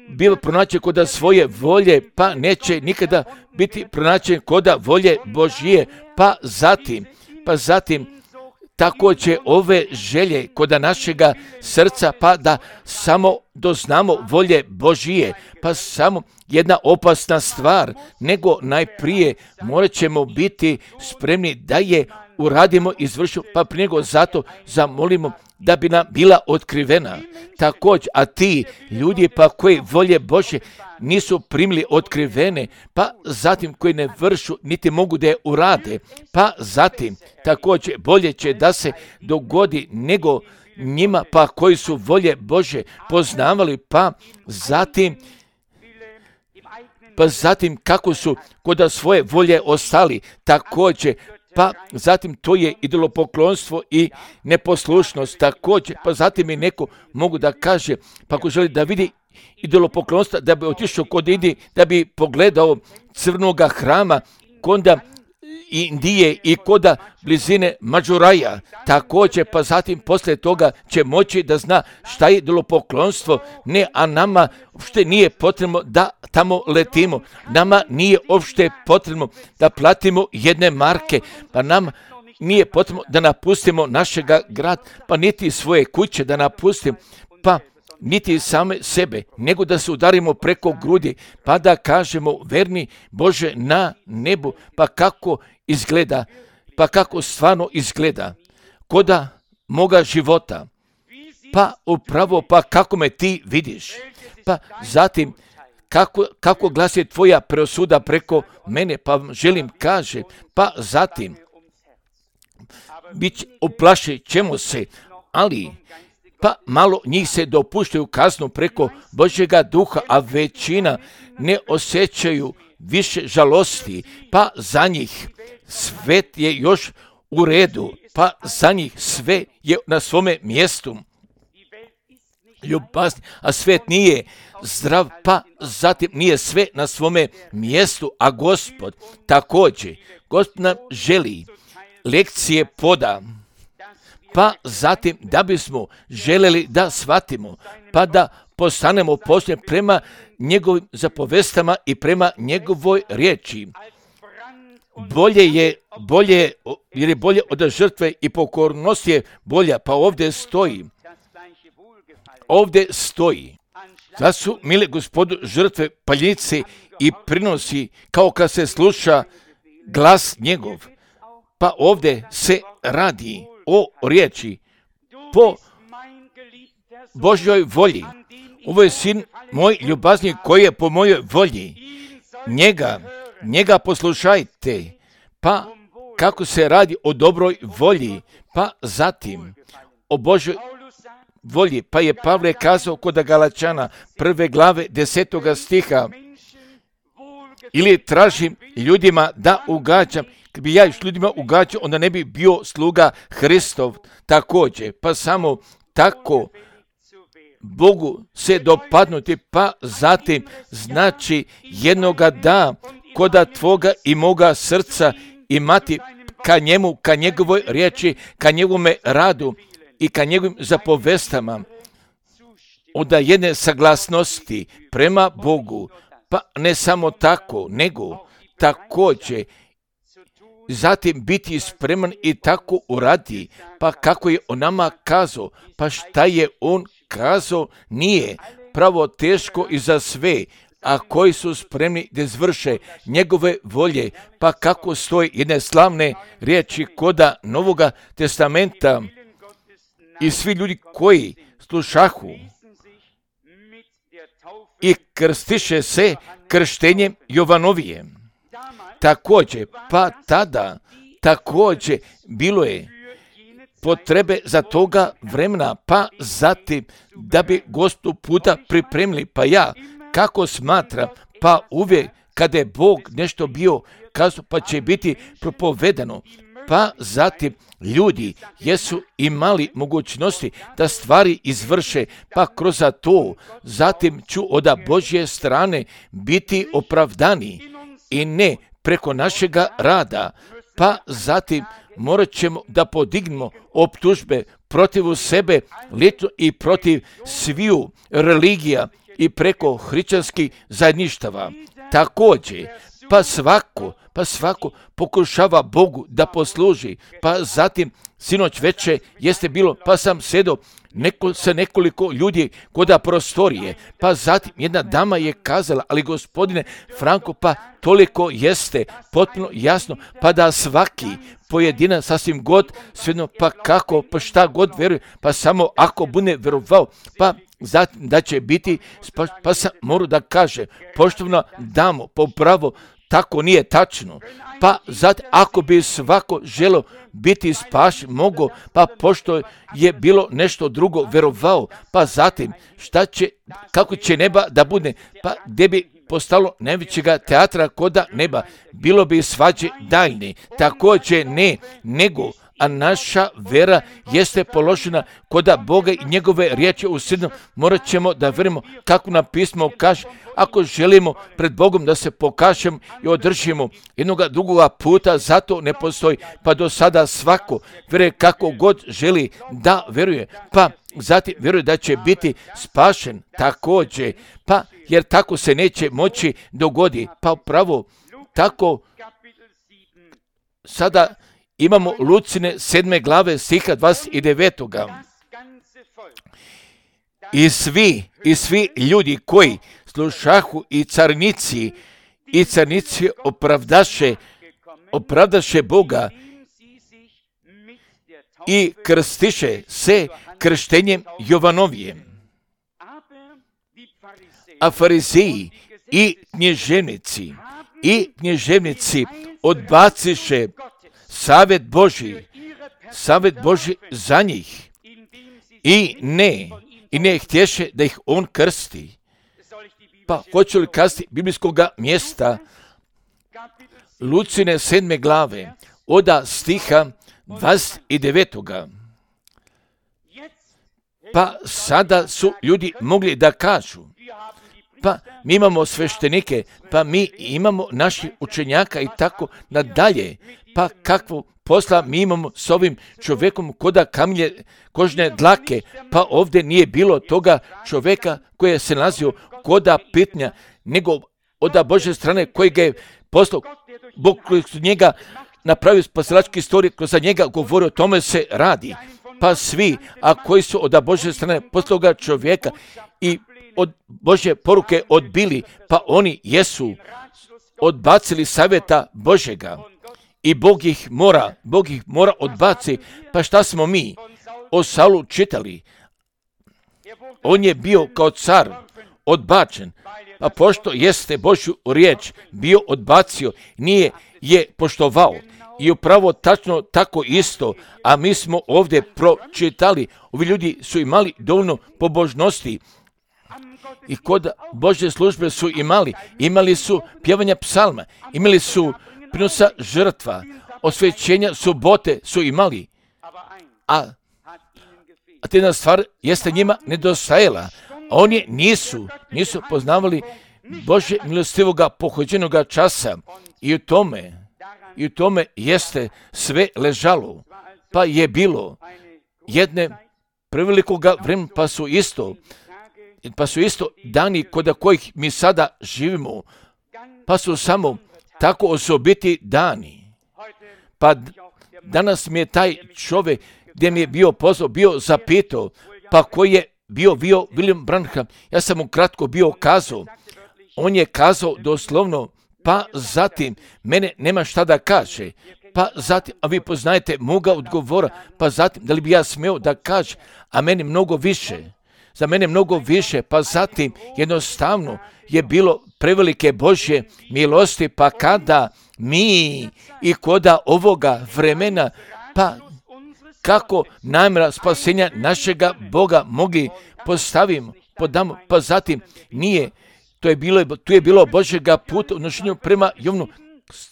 bilo pronaći koda svoje volje, pa neće nikada biti pronaćen koda volje Božije, pa zatim, pa zatim, također ove želje koda našega srca, pa da samo doznamo volje Božije, pa samo jedna opasna stvar, nego najprije morat ćemo biti spremni da je uradimo, izvršimo, pa prije nego zato zamolimo da bi nam bila otkrivena. Također, a ti ljudi pa koji volje Božje nisu primili otkrivene, pa zatim koji ne vršu, niti mogu da je urade, pa zatim također bolje će da se dogodi nego njima pa koji su volje Božje poznavali, pa zatim pa zatim kako su koda svoje volje ostali, također pa zatim to je idolopoklonstvo i neposlušnost također, pa zatim i neko mogu da kaže, pa ako želi da vidi idolopoklonstva, da bi otišao kod Indije, da bi pogledao crnoga hrama, konda Indije i koda blizine Mađuraja, također, pa zatim poslije toga će moći da zna šta je idolopoklonstvo, ne, a nama uopšte nije potrebno da tamo letimo, nama nije uopšte potrebno da platimo jedne marke, pa nama nije potrebno da napustimo našega grada, pa niti svoje kuće da napustimo, pa niti same sebe, nego da se udarimo preko grudi, pa da kažemo verni Bože na nebu, pa kako izgleda, pa kako stvarno izgleda koda moga života, pa upravo pa kako me ti vidiš, pa zatim kako, kako glasi tvoja presuda preko mene, pa želim kaže, pa zatim bit oplašit ćemo se, ali pa malo njih se dopuštaju kaznu preko Božjega duha, a većina ne osjećaju više žalosti, pa za njih svet je još u redu, pa za njih sve je na svome mjestu. Ljubazni, a svet nije zdrav, pa zatim nije sve na svome mjestu, a Gospod također, Gospod nam želi lekcije poda, pa zatim da bismo željeli da shvatimo, pa da postanemo posljednji prema njegovim zapovestama i prema njegovoj riječi. Bolje je, bolje, jer je bolje od žrtve i pokornost je bolja, pa ovdje stoji, ovdje stoji, da su, mile Gospodu, žrtve paljnice i prinosi kao kad se sluša glas njegov, pa ovdje se radi o riječi po Božjoj volji. Ovo je sin moj ljubazni koji je po mojoj volji. Njega, njega poslušajte. Pa kako se radi o dobroj volji, pa zatim o Božoj volji. Pa je Pavle kazao kod Galačana prve glave desetoga stiha, ili tražim ljudima da ugađam. Kad bi ja još ljudima ugađao, onda ne bi bio sluga Hristov također. Pa samo tako Bogu se dopadnuti, pa zatim znači jednoga da koda tvoga i moga srca imati ka njemu, ka njegovoj riječi, ka njegovome radu i ka njegovim zapovestama, od jedne saglasnosti prema Bogu, pa ne samo tako, nego također zatim biti spreman i tako uradi, pa kako je on nama kazao, pa šta je on kazao, nije pravo teško i za sve, a koji su spremni da izvrše njegove volje, pa kako stoji jedne slavne riječi koda Novoga testamenta, i svi ljudi koji slušahu i krstiše se krštenjem Jovanovijem. Također, pa tada također bilo je potrebe za toga vremena, pa zatim da bi gostu puta pripremili. Pa ja, kako smatram, pa uvijek kada je Bog nešto bio kazao, pa će biti propovedano, pa zatim ljudi jesu imali mogućnosti da stvari izvrše, pa kroz to zatim ću od Božje strane biti opravdani i ne preko našega rada, pa zatim morat ćemo da podignemo optužbe protiv sebe lično i protiv sviju religija i preko hrišćanskih zajedništava. Također, pa svako, pa svako pokušava Bogu da posluži, pa zatim sinoć veče jeste bilo, pa sam sedao neko, sa nekoliko ljudi koda prostorije, pa zatim jedna dama je kazala, ali gospodine Franko, pa toliko jeste potpuno jasno, pa da svaki pojedinac sasvim god, svejedno, pa kako, pa šta god veruje, pa samo ako bude verovao, pa zatim da će biti, pa, pa sam moram da kaže, poštovno damo, po pravo, tako nije tačno. Pa zatim, ako bi svako želo biti spašen, mogo, pa pošto je bilo nešto drugo verovao, pa zatim, šta će, kako će neba da bude, pa gdje bi postalo najvećega teatra koda neba, bilo bi svađe daljne, također ne, nego, a naša vera jeste položena koda Boga i njegove riječi u srednom, morat ćemo da verimo kako nam pismo kaže, ako želimo pred Bogom da se pokažemo i održimo jednoga drugoga puta, zato ne postoji, pa do sada svako veruje kako god želi da veruje, pa zatim vjeruje da će biti spašen također, pa jer tako se neće moći dogodi, pa pravo tako sada imamo Lucine sedme glave stiha dvadeset devetog. I svi, i svi ljudi koji slušahu i carnici, i carnici opravdaše, opravdaše Boga i krstiše se krštenjem Jovanovijem. A farizeji i knježevnici, i knježevnici odbaciše savjet Božji, savjet Božji za njih i ne, i ne htješe da ih on krsti. Pa hoću li kazati biblijskog mjesta Lucine sedme glave oda stiha dvadeset devetog. Pa sada su ljudi mogli da kažu, pa mi imamo sveštenike, pa mi imamo naših učenjaka i tako nadalje, pa kakvo posla mi imamo s ovim čovjekom koda kamlje kožne dlake, pa ovdje nije bilo toga čovjeka koji se nalazio koda pitnja, nego od Božje strane koji ga je poslao, Bog koji su njega napravio spasilački istorij, kroz za njega govori, o tome se radi. Pa svi, a koji su od Božje strane poslao čovjeka i od Božje poruke odbili, pa oni jesu odbacili savjeta Božjega i Bog ih mora, Bog ih mora odbaci. Pa šta smo mi o Saulu čitali? On je bio kao car odbačen, pa pošto jeste Božju riječ bio odbacio, nije je poštovao i upravo tačno tako isto, a mi smo ovdje pročitali, ovi ljudi su imali dovoljno pobožnosti i kod Božje službe su imali, imali su pjevanja psalma, imali su prinosa žrtva, osvećenja subote su imali, a, a te jedna stvar jeste njima nedostajala, a oni nisu, nisu poznavali Božje milostivoga pohođenoga časa i u tome, i u tome jeste sve ležalo, pa je bilo jedne prevelikoga vremena, pa su isto, pa su isto dani kod kojih mi sada živimo, pa su samo tako osobiti dani. Pa danas mi je taj čovjek gdje mi je bio pozvao, bio zapitao, pa koji je bio, bio William Branham, ja sam mu kratko bio kazao, on je kazao doslovno, pa zatim, mene nema šta da kaže, pa zatim, a vi poznajete moga odgovora, pa zatim, da li bi ja smio da kaže, a meni mnogo više, za mene mnogo više, pa zatim, jednostavno je bilo prevelike Božje milosti, pa kada mi i koda ovoga vremena, pa kako namjera spasenja našega Boga mogli postavimo, podamo, pa zatim nije, to je bilo, tu je bilo Božjega puta u odnošenju prema Jovnu,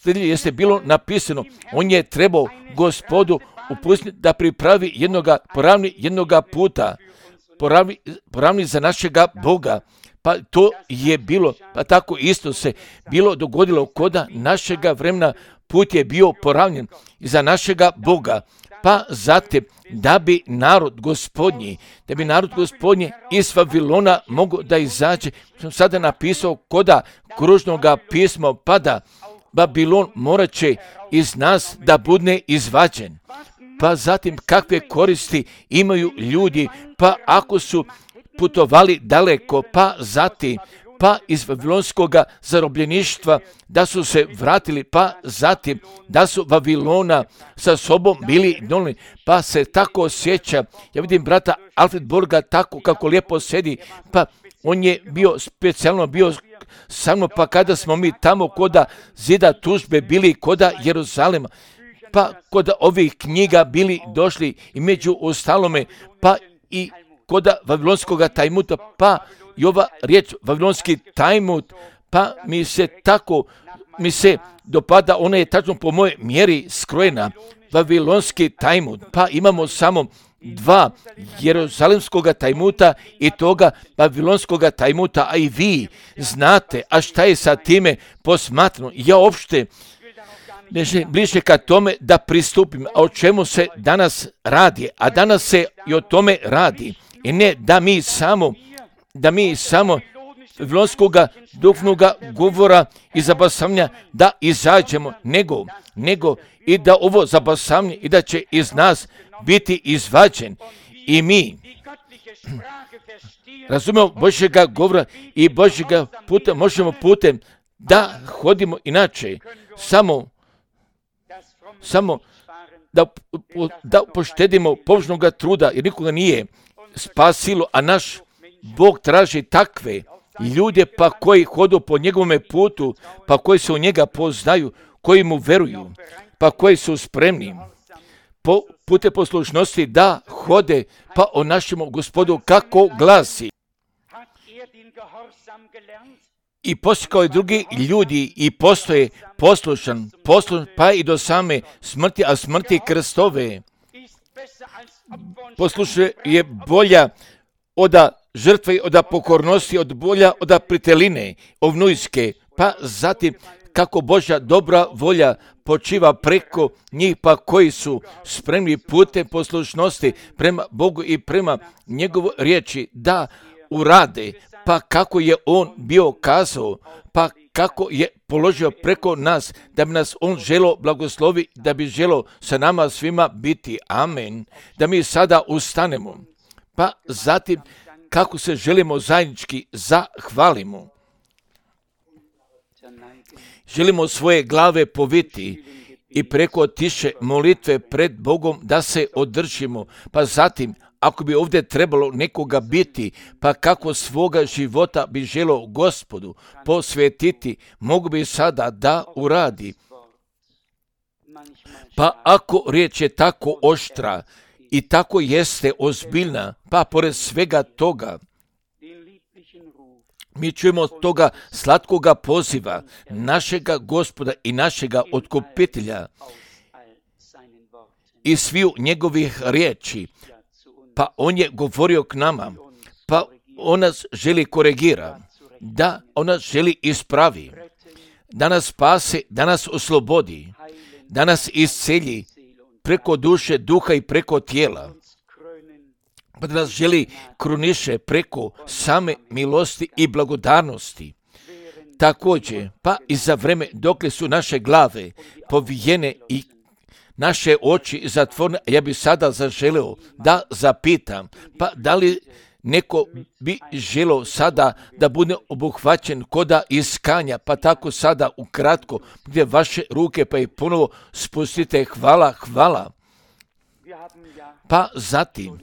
jeste bilo napisano, on je trebao Gospodu upustiti da pripravi jednoga, poravni jednoga puta, poravni, poravni za našega Boga. Pa to je bilo, pa tako isto se bilo dogodilo koda našega vremena, put je bio poravnjen za našega Boga. Pa zatim, da bi narod gospodnji, da bi narod gospodnji iz Vavilona mogu da izađe, sam sada napisao koda kružnoga pisma, pa da Babilon morat će iz nas da bude izvađen. Pa zatim, kakve koristi imaju ljudi, pa ako su putovali daleko, pa zatim, pa iz vavilonskoga zarobljeništva, da su se vratili, pa zatim, da su Vavilona sa sobom bili donijeli, pa se tako osjeća. Ja vidim brata Alfred Borga tako kako lijepo sedi, pa on je bio, specijalno bio sa mnom, pa kada smo mi tamo koda zida tužbe bili koda Jeruzalema, pa kod ovih knjiga bili došli i među ostalome, pa i koda Vavilonskoga Talmuda, pa i ova riječ Vavilonski Talmud, pa mi se tako, mi se dopada, ona je tačno po mojoj mjeri skrojena, Vavilonski Talmud, pa imamo samo dva Jeruzalemskoga Talmuda i toga Vavilonskoga Talmuda, a i vi znate, a šta je sa time posmatrano, ja uopšte ne želim bliže ka tome da pristupim, a o čemu se danas radi, a danas se i o tome radi, i ne da mi samo, da mi samo Vavilonskoga duhovnoga govora i zabasavanja da izađemo, nego, nego i da ovo zabasavanje i da će iz nas biti izvađen i mi razumemo Božjega govora i Božjega puta možemo putem da hodimo inače, samo samo da, da poštedimo pobožnoga truda, jer nikoga nije spasilo, a naš Bog traži takve ljude pa koji hodu po njegovome putu, pa koji se u njega poznaju, koji mu veruju, pa koji su spremni po pute poslušnosti da hode pa o našemu Gospodu kako glasi. I poslikao je drugi ljudi i postoje poslušan, poslušan pa i do same smrti, a smrti krstove. Poslušaj je bolja od žrtve, od pokornosti, od bolja od priteline ovnujske, pa zatim kako Božja dobra volja počiva preko njih, pa koji su spremni putem poslušnosti prema Bogu i prema njegovoj riječi da urade, pa kako je on bio kazao, pa kako je položio preko nas, da bi nas on želo blagoslovi, da bi želo sa nama svima biti. Amen. Da mi sada ustanemo, pa zatim kako se želimo zajednički zahvalimo. Želimo svoje glave poviti i preko tiše molitve pred Bogom da se održimo, pa zatim ako bi ovdje trebalo nekoga biti, pa kako svoga života bi želo Gospodu posvetiti, mogu bi sada da uradi. Pa ako riječ je tako oštra i tako jeste ozbiljna, pa pored svega toga, mi čujemo toga slatkoga poziva našega Gospoda i našega Otkupitelja i sviju njegovih riječi. Pa on je govorio k nama, pa on nas želi koregira, da on nas želi ispravi, da nas spase, da nas oslobodi, da nas iscelji preko duše, duha i preko tijela, pa da nas želi kruniše preko same milosti i blagodarnosti. Također, pa i za vreme dokle su naše glave povijene i naše oči zatvorene, ja bih sada zaželeo da zapitam, pa da li neko bi želeo sada da bude obuhvaćen koda iskanja, pa tako sada ukratko, gdje vaše ruke pa i ponovo spustite hvala, hvala. Pa zatim,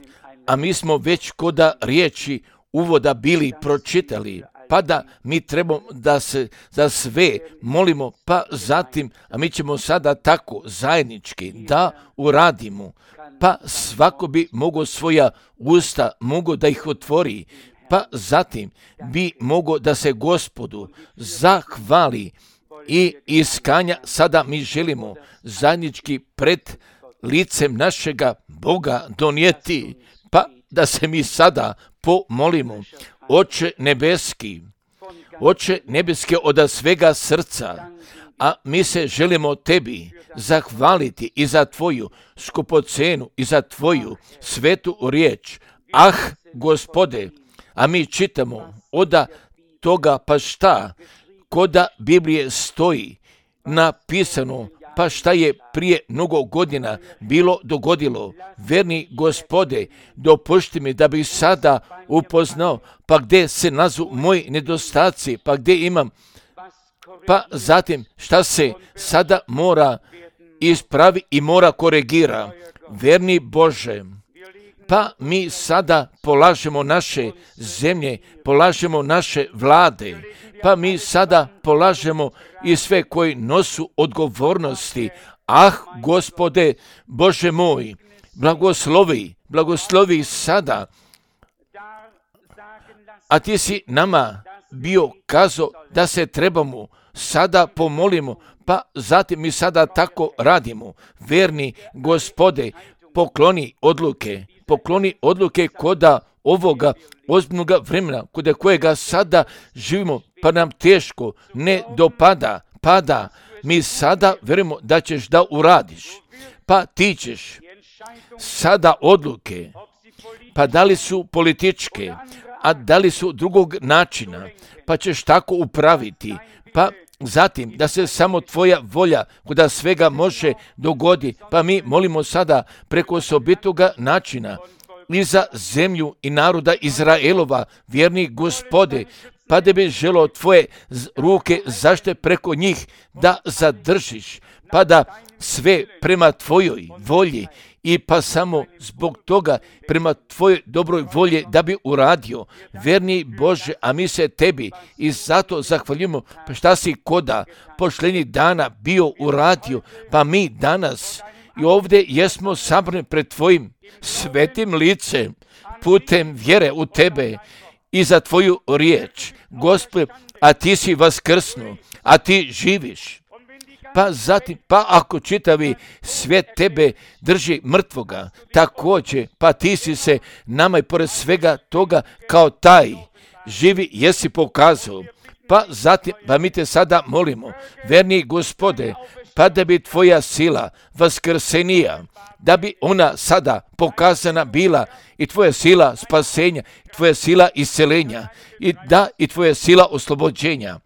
a mi smo već koda riječi uvoda bili pročitali, pa da mi trebamo da se za sve molimo, pa zatim, a mi ćemo sada tako zajednički da uradimo, pa svako bi mogao svoja usta, mogao da ih otvori, pa zatim bi mogao da se Gospodu zahvali i iskanja sada mi želimo zajednički pred licem našega Boga donijeti, pa da se mi sada pomolimo. Oče nebeski, Oče nebeski od svega srca, a mi se želimo tebi zahvaliti i za tvoju skupocenu i za tvoju svetu riječ. Ah, Gospode, a mi čitamo od toga pa šta, koda Biblije stoji napisano, pa šta je prije mnogo godina bilo dogodilo. Verni Gospode, dopušti mi da bih sada upoznao, pa gdje se nazu moji nedostaci, pa gdje imam, pa zatim šta se sada mora ispravi i mora koregira. Verni Bože, pa mi sada polažemo naše zemlje, polažemo naše vlade, pa mi sada polažemo i sve koji nosu odgovornosti. Ah, Gospode, Bože moj, blagoslovi, blagoslovi sada. A ti si nama bio kazao da se trebamo sada pomolimo, pa zatim mi sada tako radimo. Verni Gospode, pokloni odluke, pokloni odluke koda ovoga ozbiljnog vremena, kod kojega sada živimo, pa nam teško ne dopada, pada. Mi sada verujemo da ćeš da uradiš, pa ti ćeš sada odluke, pa da li su političke, a da li su drugog načina, pa ćeš tako upraviti, pa zatim da se samo tvoja volja kuda svega može dogodi, pa mi molimo sada preko osobitoga načina i za zemlju i naroda Izraelova, vjerni Gospode, pa da bi želo tvoje ruke zašte preko njih da zadržiš, pa da sve prema tvojoj volji i pa samo zbog toga prema tvojoj dobroj volje da bi uradio. Verni Bože, a mi se tebi i zato zahvaljujemo pa šta si koda pošljenih dana bio uradio, pa mi danas i ovdje jesmo sabrani pred tvojim svetim licem putem vjere u tebe i za tvoju riječ. Gospode, a ti si vaskrsnuo, a ti živiš. Pa zatim, pa ako čitavi svijet tebe drži mrtvoga, također, pa ti si se nama i pored svega toga kao taj živi jesi pokazao. Pa zatim, pa mi te sada molimo, verni Gospode, pa da bi tvoja sila vaskrsenija, da bi ona sada pokazana bila i tvoja sila spasenja, tvoja sila iscelenja i da i tvoja sila oslobođenja.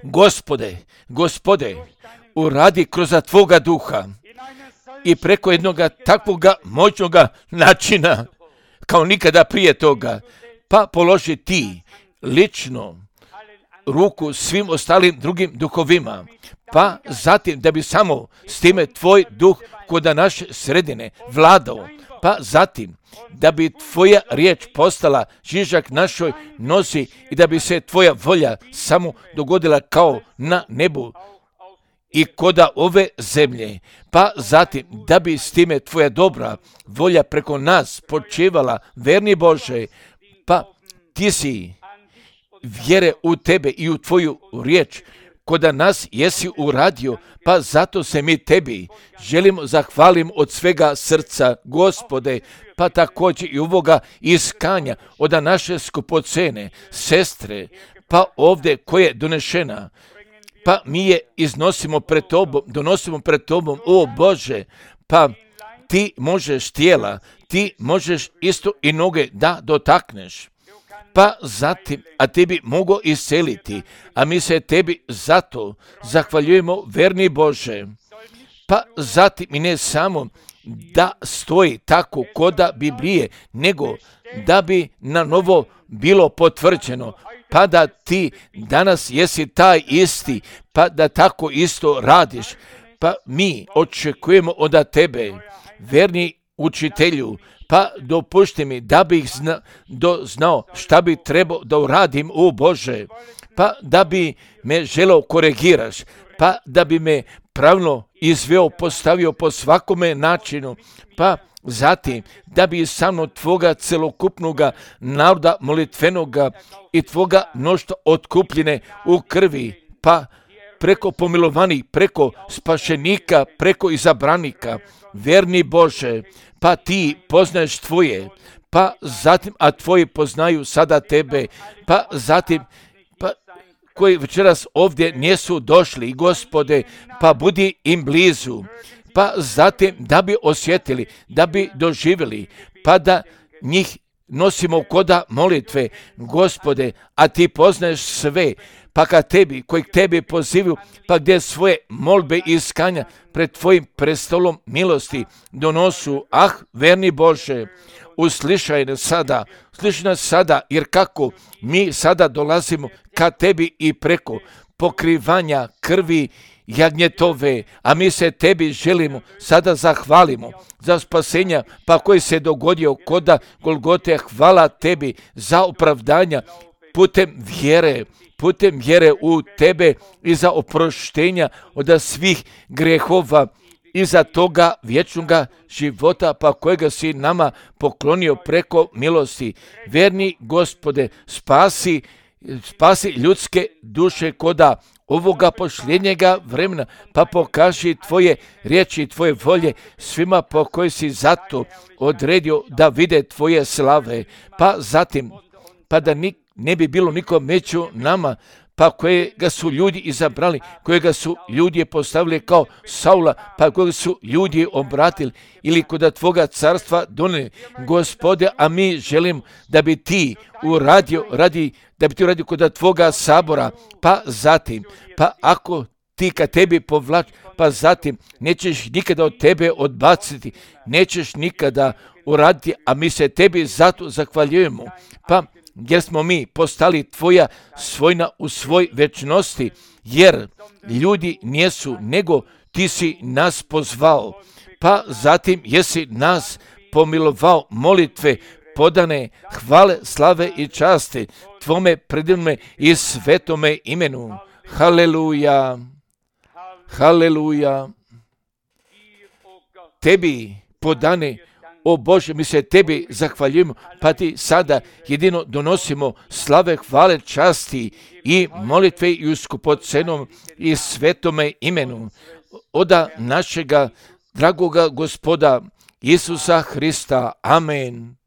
Gospode, Gospode, uradi kroz tvoga duha i preko jednoga takvoga moćnoga načina kao nikada prije toga, pa položi ti lično ruku svim ostalim drugim duhovima, pa zatim da bi samo s time tvoj duh kod naše sredine vladao, pa zatim da bi tvoja riječ postala žižak našoj nosi i da bi se tvoja volja samo dogodila kao na nebu i koda ove zemlje, pa zatim da bi s time tvoja dobra volja preko nas počevala, verni Bože, pa ti si vjere u tebe i u tvoju riječ, koda nas jesi uradio, pa zato se mi tebi želimo zahvalim od svega srca, Gospode, pa također i ovoga iskanja od naše skupocene sestre, pa ovdje koja je donešena, pa mi je iznosimo pred tobom, donosimo pred tobom, o Bože, pa ti možeš tijela, ti možeš isto i noge da dotakneš. Pa zatim, a tebi mogu isceliti, a mi se tebi zato zahvaljujemo, verni Bože. Pa zatim i ne samo da stoji tako koda Biblije, nego da bi na novo bilo potvrđeno, pa da ti danas jesi taj isti, pa da tako isto radiš. Pa mi očekujemo od tebe, verni učitelju, pa dopušti mi da bih zna, do, znao šta bi trebao da uradim, o Bože, pa da bi me želeo korigiraš, pa da bi me pravno izveo, postavio po svakome načinu, pa zatim da bi sa mnom tvoga celokupnoga naroda molitvenoga i tvoga mnoštva otkupljene u krvi, pa preko pomilovanih, preko spašenika, preko izabranika, verni Bože, pa ti poznaješ tvoje, pa zatim, a tvoji poznaju sada tebe, pa zatim, pa koji večeras ovdje nisu došli, Gospode, pa budi im blizu, pa zatim da bi osjetili, da bi doživjeli, pa da njih nosimo koda molitve, Gospode, a ti poznaješ sve, pa kad tebi, koji k tebi pozivaju, pa gdje svoje molbe i iskanja pred tvojim prestolom milosti donosu, ah, verni Bože, uslišaj nas sada, uslišaj nas sada, jer kako mi sada dolazimo ka tebi i preko pokrivanja krvi jagnjetove, a mi se tebi želimo, sada zahvalimo za spasenja, pa koji se dogodio koda Golgote, hvala tebi za opravdanja putem vjere, putem vjere u tebe i za oproštenja od svih grehova i za toga vječnoga života, pa kojega si nama poklonio preko milosti. Verni Gospode, spasi, spasi ljudske duše koda ovoga posljednjega vremena, pa pokaži tvoje riječi, tvoje volje svima po koji si zato odredio da vide tvoje slave, pa zatim, pa da ni, ne bi bilo nikom među nama, pa kojega su ljudi izabrali, kojega su ljudi postavili kao Saula, pa kojega su ljudi obratili ili kod tvoga carstva donijeli, Gospode, a mi želim da bi ti uradio, radi, da bi ti uradio kod tvoga sabora, pa zatim, pa ako ti ka tebi povlači, pa zatim nećeš nikada od tebe odbaciti, nećeš nikada uraditi, a mi se tebi zato zahvaljujemo, pa jer smo mi postali tvoja svojna u svoj večnosti, jer ljudi nijesu, nego ti si nas pozvao, pa zatim jesi nas pomilovao molitve, podane hvale, slave i časti tvome predivnome i svetome imenu. Haleluja, haleluja. Tebi podane, o Bože, mi se tebi zahvaljujemo, pa ti sada jedino donosimo slave, hvale, časti i molitve i u skupocenom i svetome imenu oda našega dragoga Gospoda Isusa Hrista. Amen.